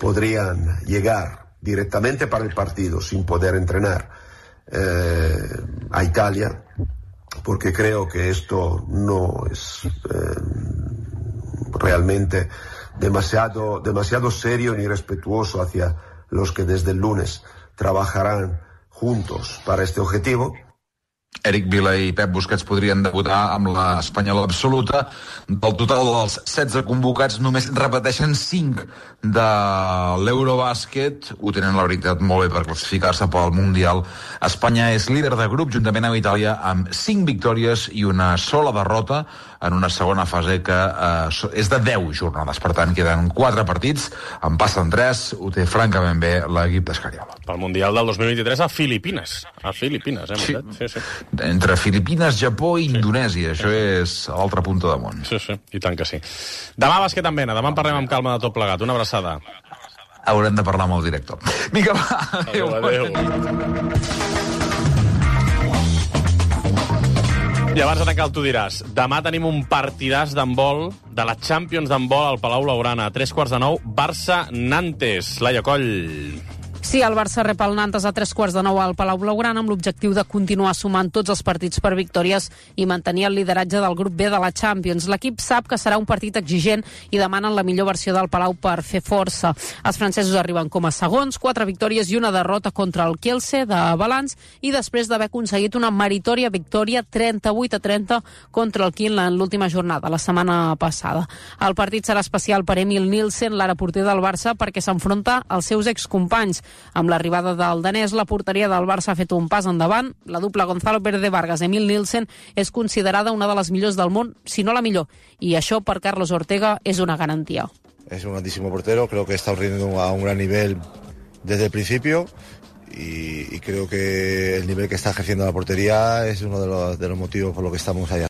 O: podrían llegar directamente para el partido sin poder entrenar a Italia, porque creo que esto no es realmente demasiado serio ni respetuoso hacia los que desde el lunes trabajarán juntos para este objetivo.
H: Eric Vila i Pep Busquets podrien debutar amb l'Espanyola absoluta. Del total dels 16 convocats, només repeteixen 5 de l'Eurobàsquet. Ho tenen, la veritat, molt bé per classificar-se pel Mundial. Espanya és líder de grup, juntament amb Itàlia, amb 5 victòries i una sola derrota en una segona fase que és de 10 jornades. Per tant, queden 4 partits, en passen 3, ho té francament bé l'equip d'Escariola.
B: Pel Mundial del 2023 a Filipines. A Filipines,
H: Sí.
B: Sí.
H: Entre Filipines, Japó i Indonèsia. Això és a l'altra punta del món.
B: Sí, i tant que sí. Demà bàsquet en vena, demà en parlem amb calma de tot plegat. Una abraçada.
H: Haurem de parlar amb el director. Vinga, va.
B: Adéu. I abans de tancar tu diràs, demà tenim un partidàs d'handbol de la Champions d'handbol al Palau Blaugrana. A 9:03, Barça-Nantes. Laia Coll.
D: Sí, el Barça rep el Nantes a 9:03 al Palau Blaugrana amb l'objectiu de continuar sumant tots els partits per victòries i mantenir el lideratge del grup B de la Champions. L'equip sap que serà un partit exigent i demanen la millor versió del Palau per fer força. Els francesos arriben com a segons, 4 victòries i una derrota contra el Kielce de Valence i després d'haver aconseguit una meritòria victòria 38-30 contra el Kiel en l'última jornada, la setmana passada. El partit serà especial per Emil Nielsen, l'ara porter del Barça, perquè s'enfronta als seus excompanys. Amb l'arribada del danès, la porteria del Barça ha fet un pas endavant. La dupla Gonzalo Pérez Vargas-Emil Nielsen és considerada una de les millors del món, si no la millor. I això, per Carlos Ortega, és una garantia.
P: Es un grandísimo portero, creo que está rindiendo a un gran nivel desde el principio y creo que el nivel que está ejerciendo la portería es uno de los motivos por los que estamos allá.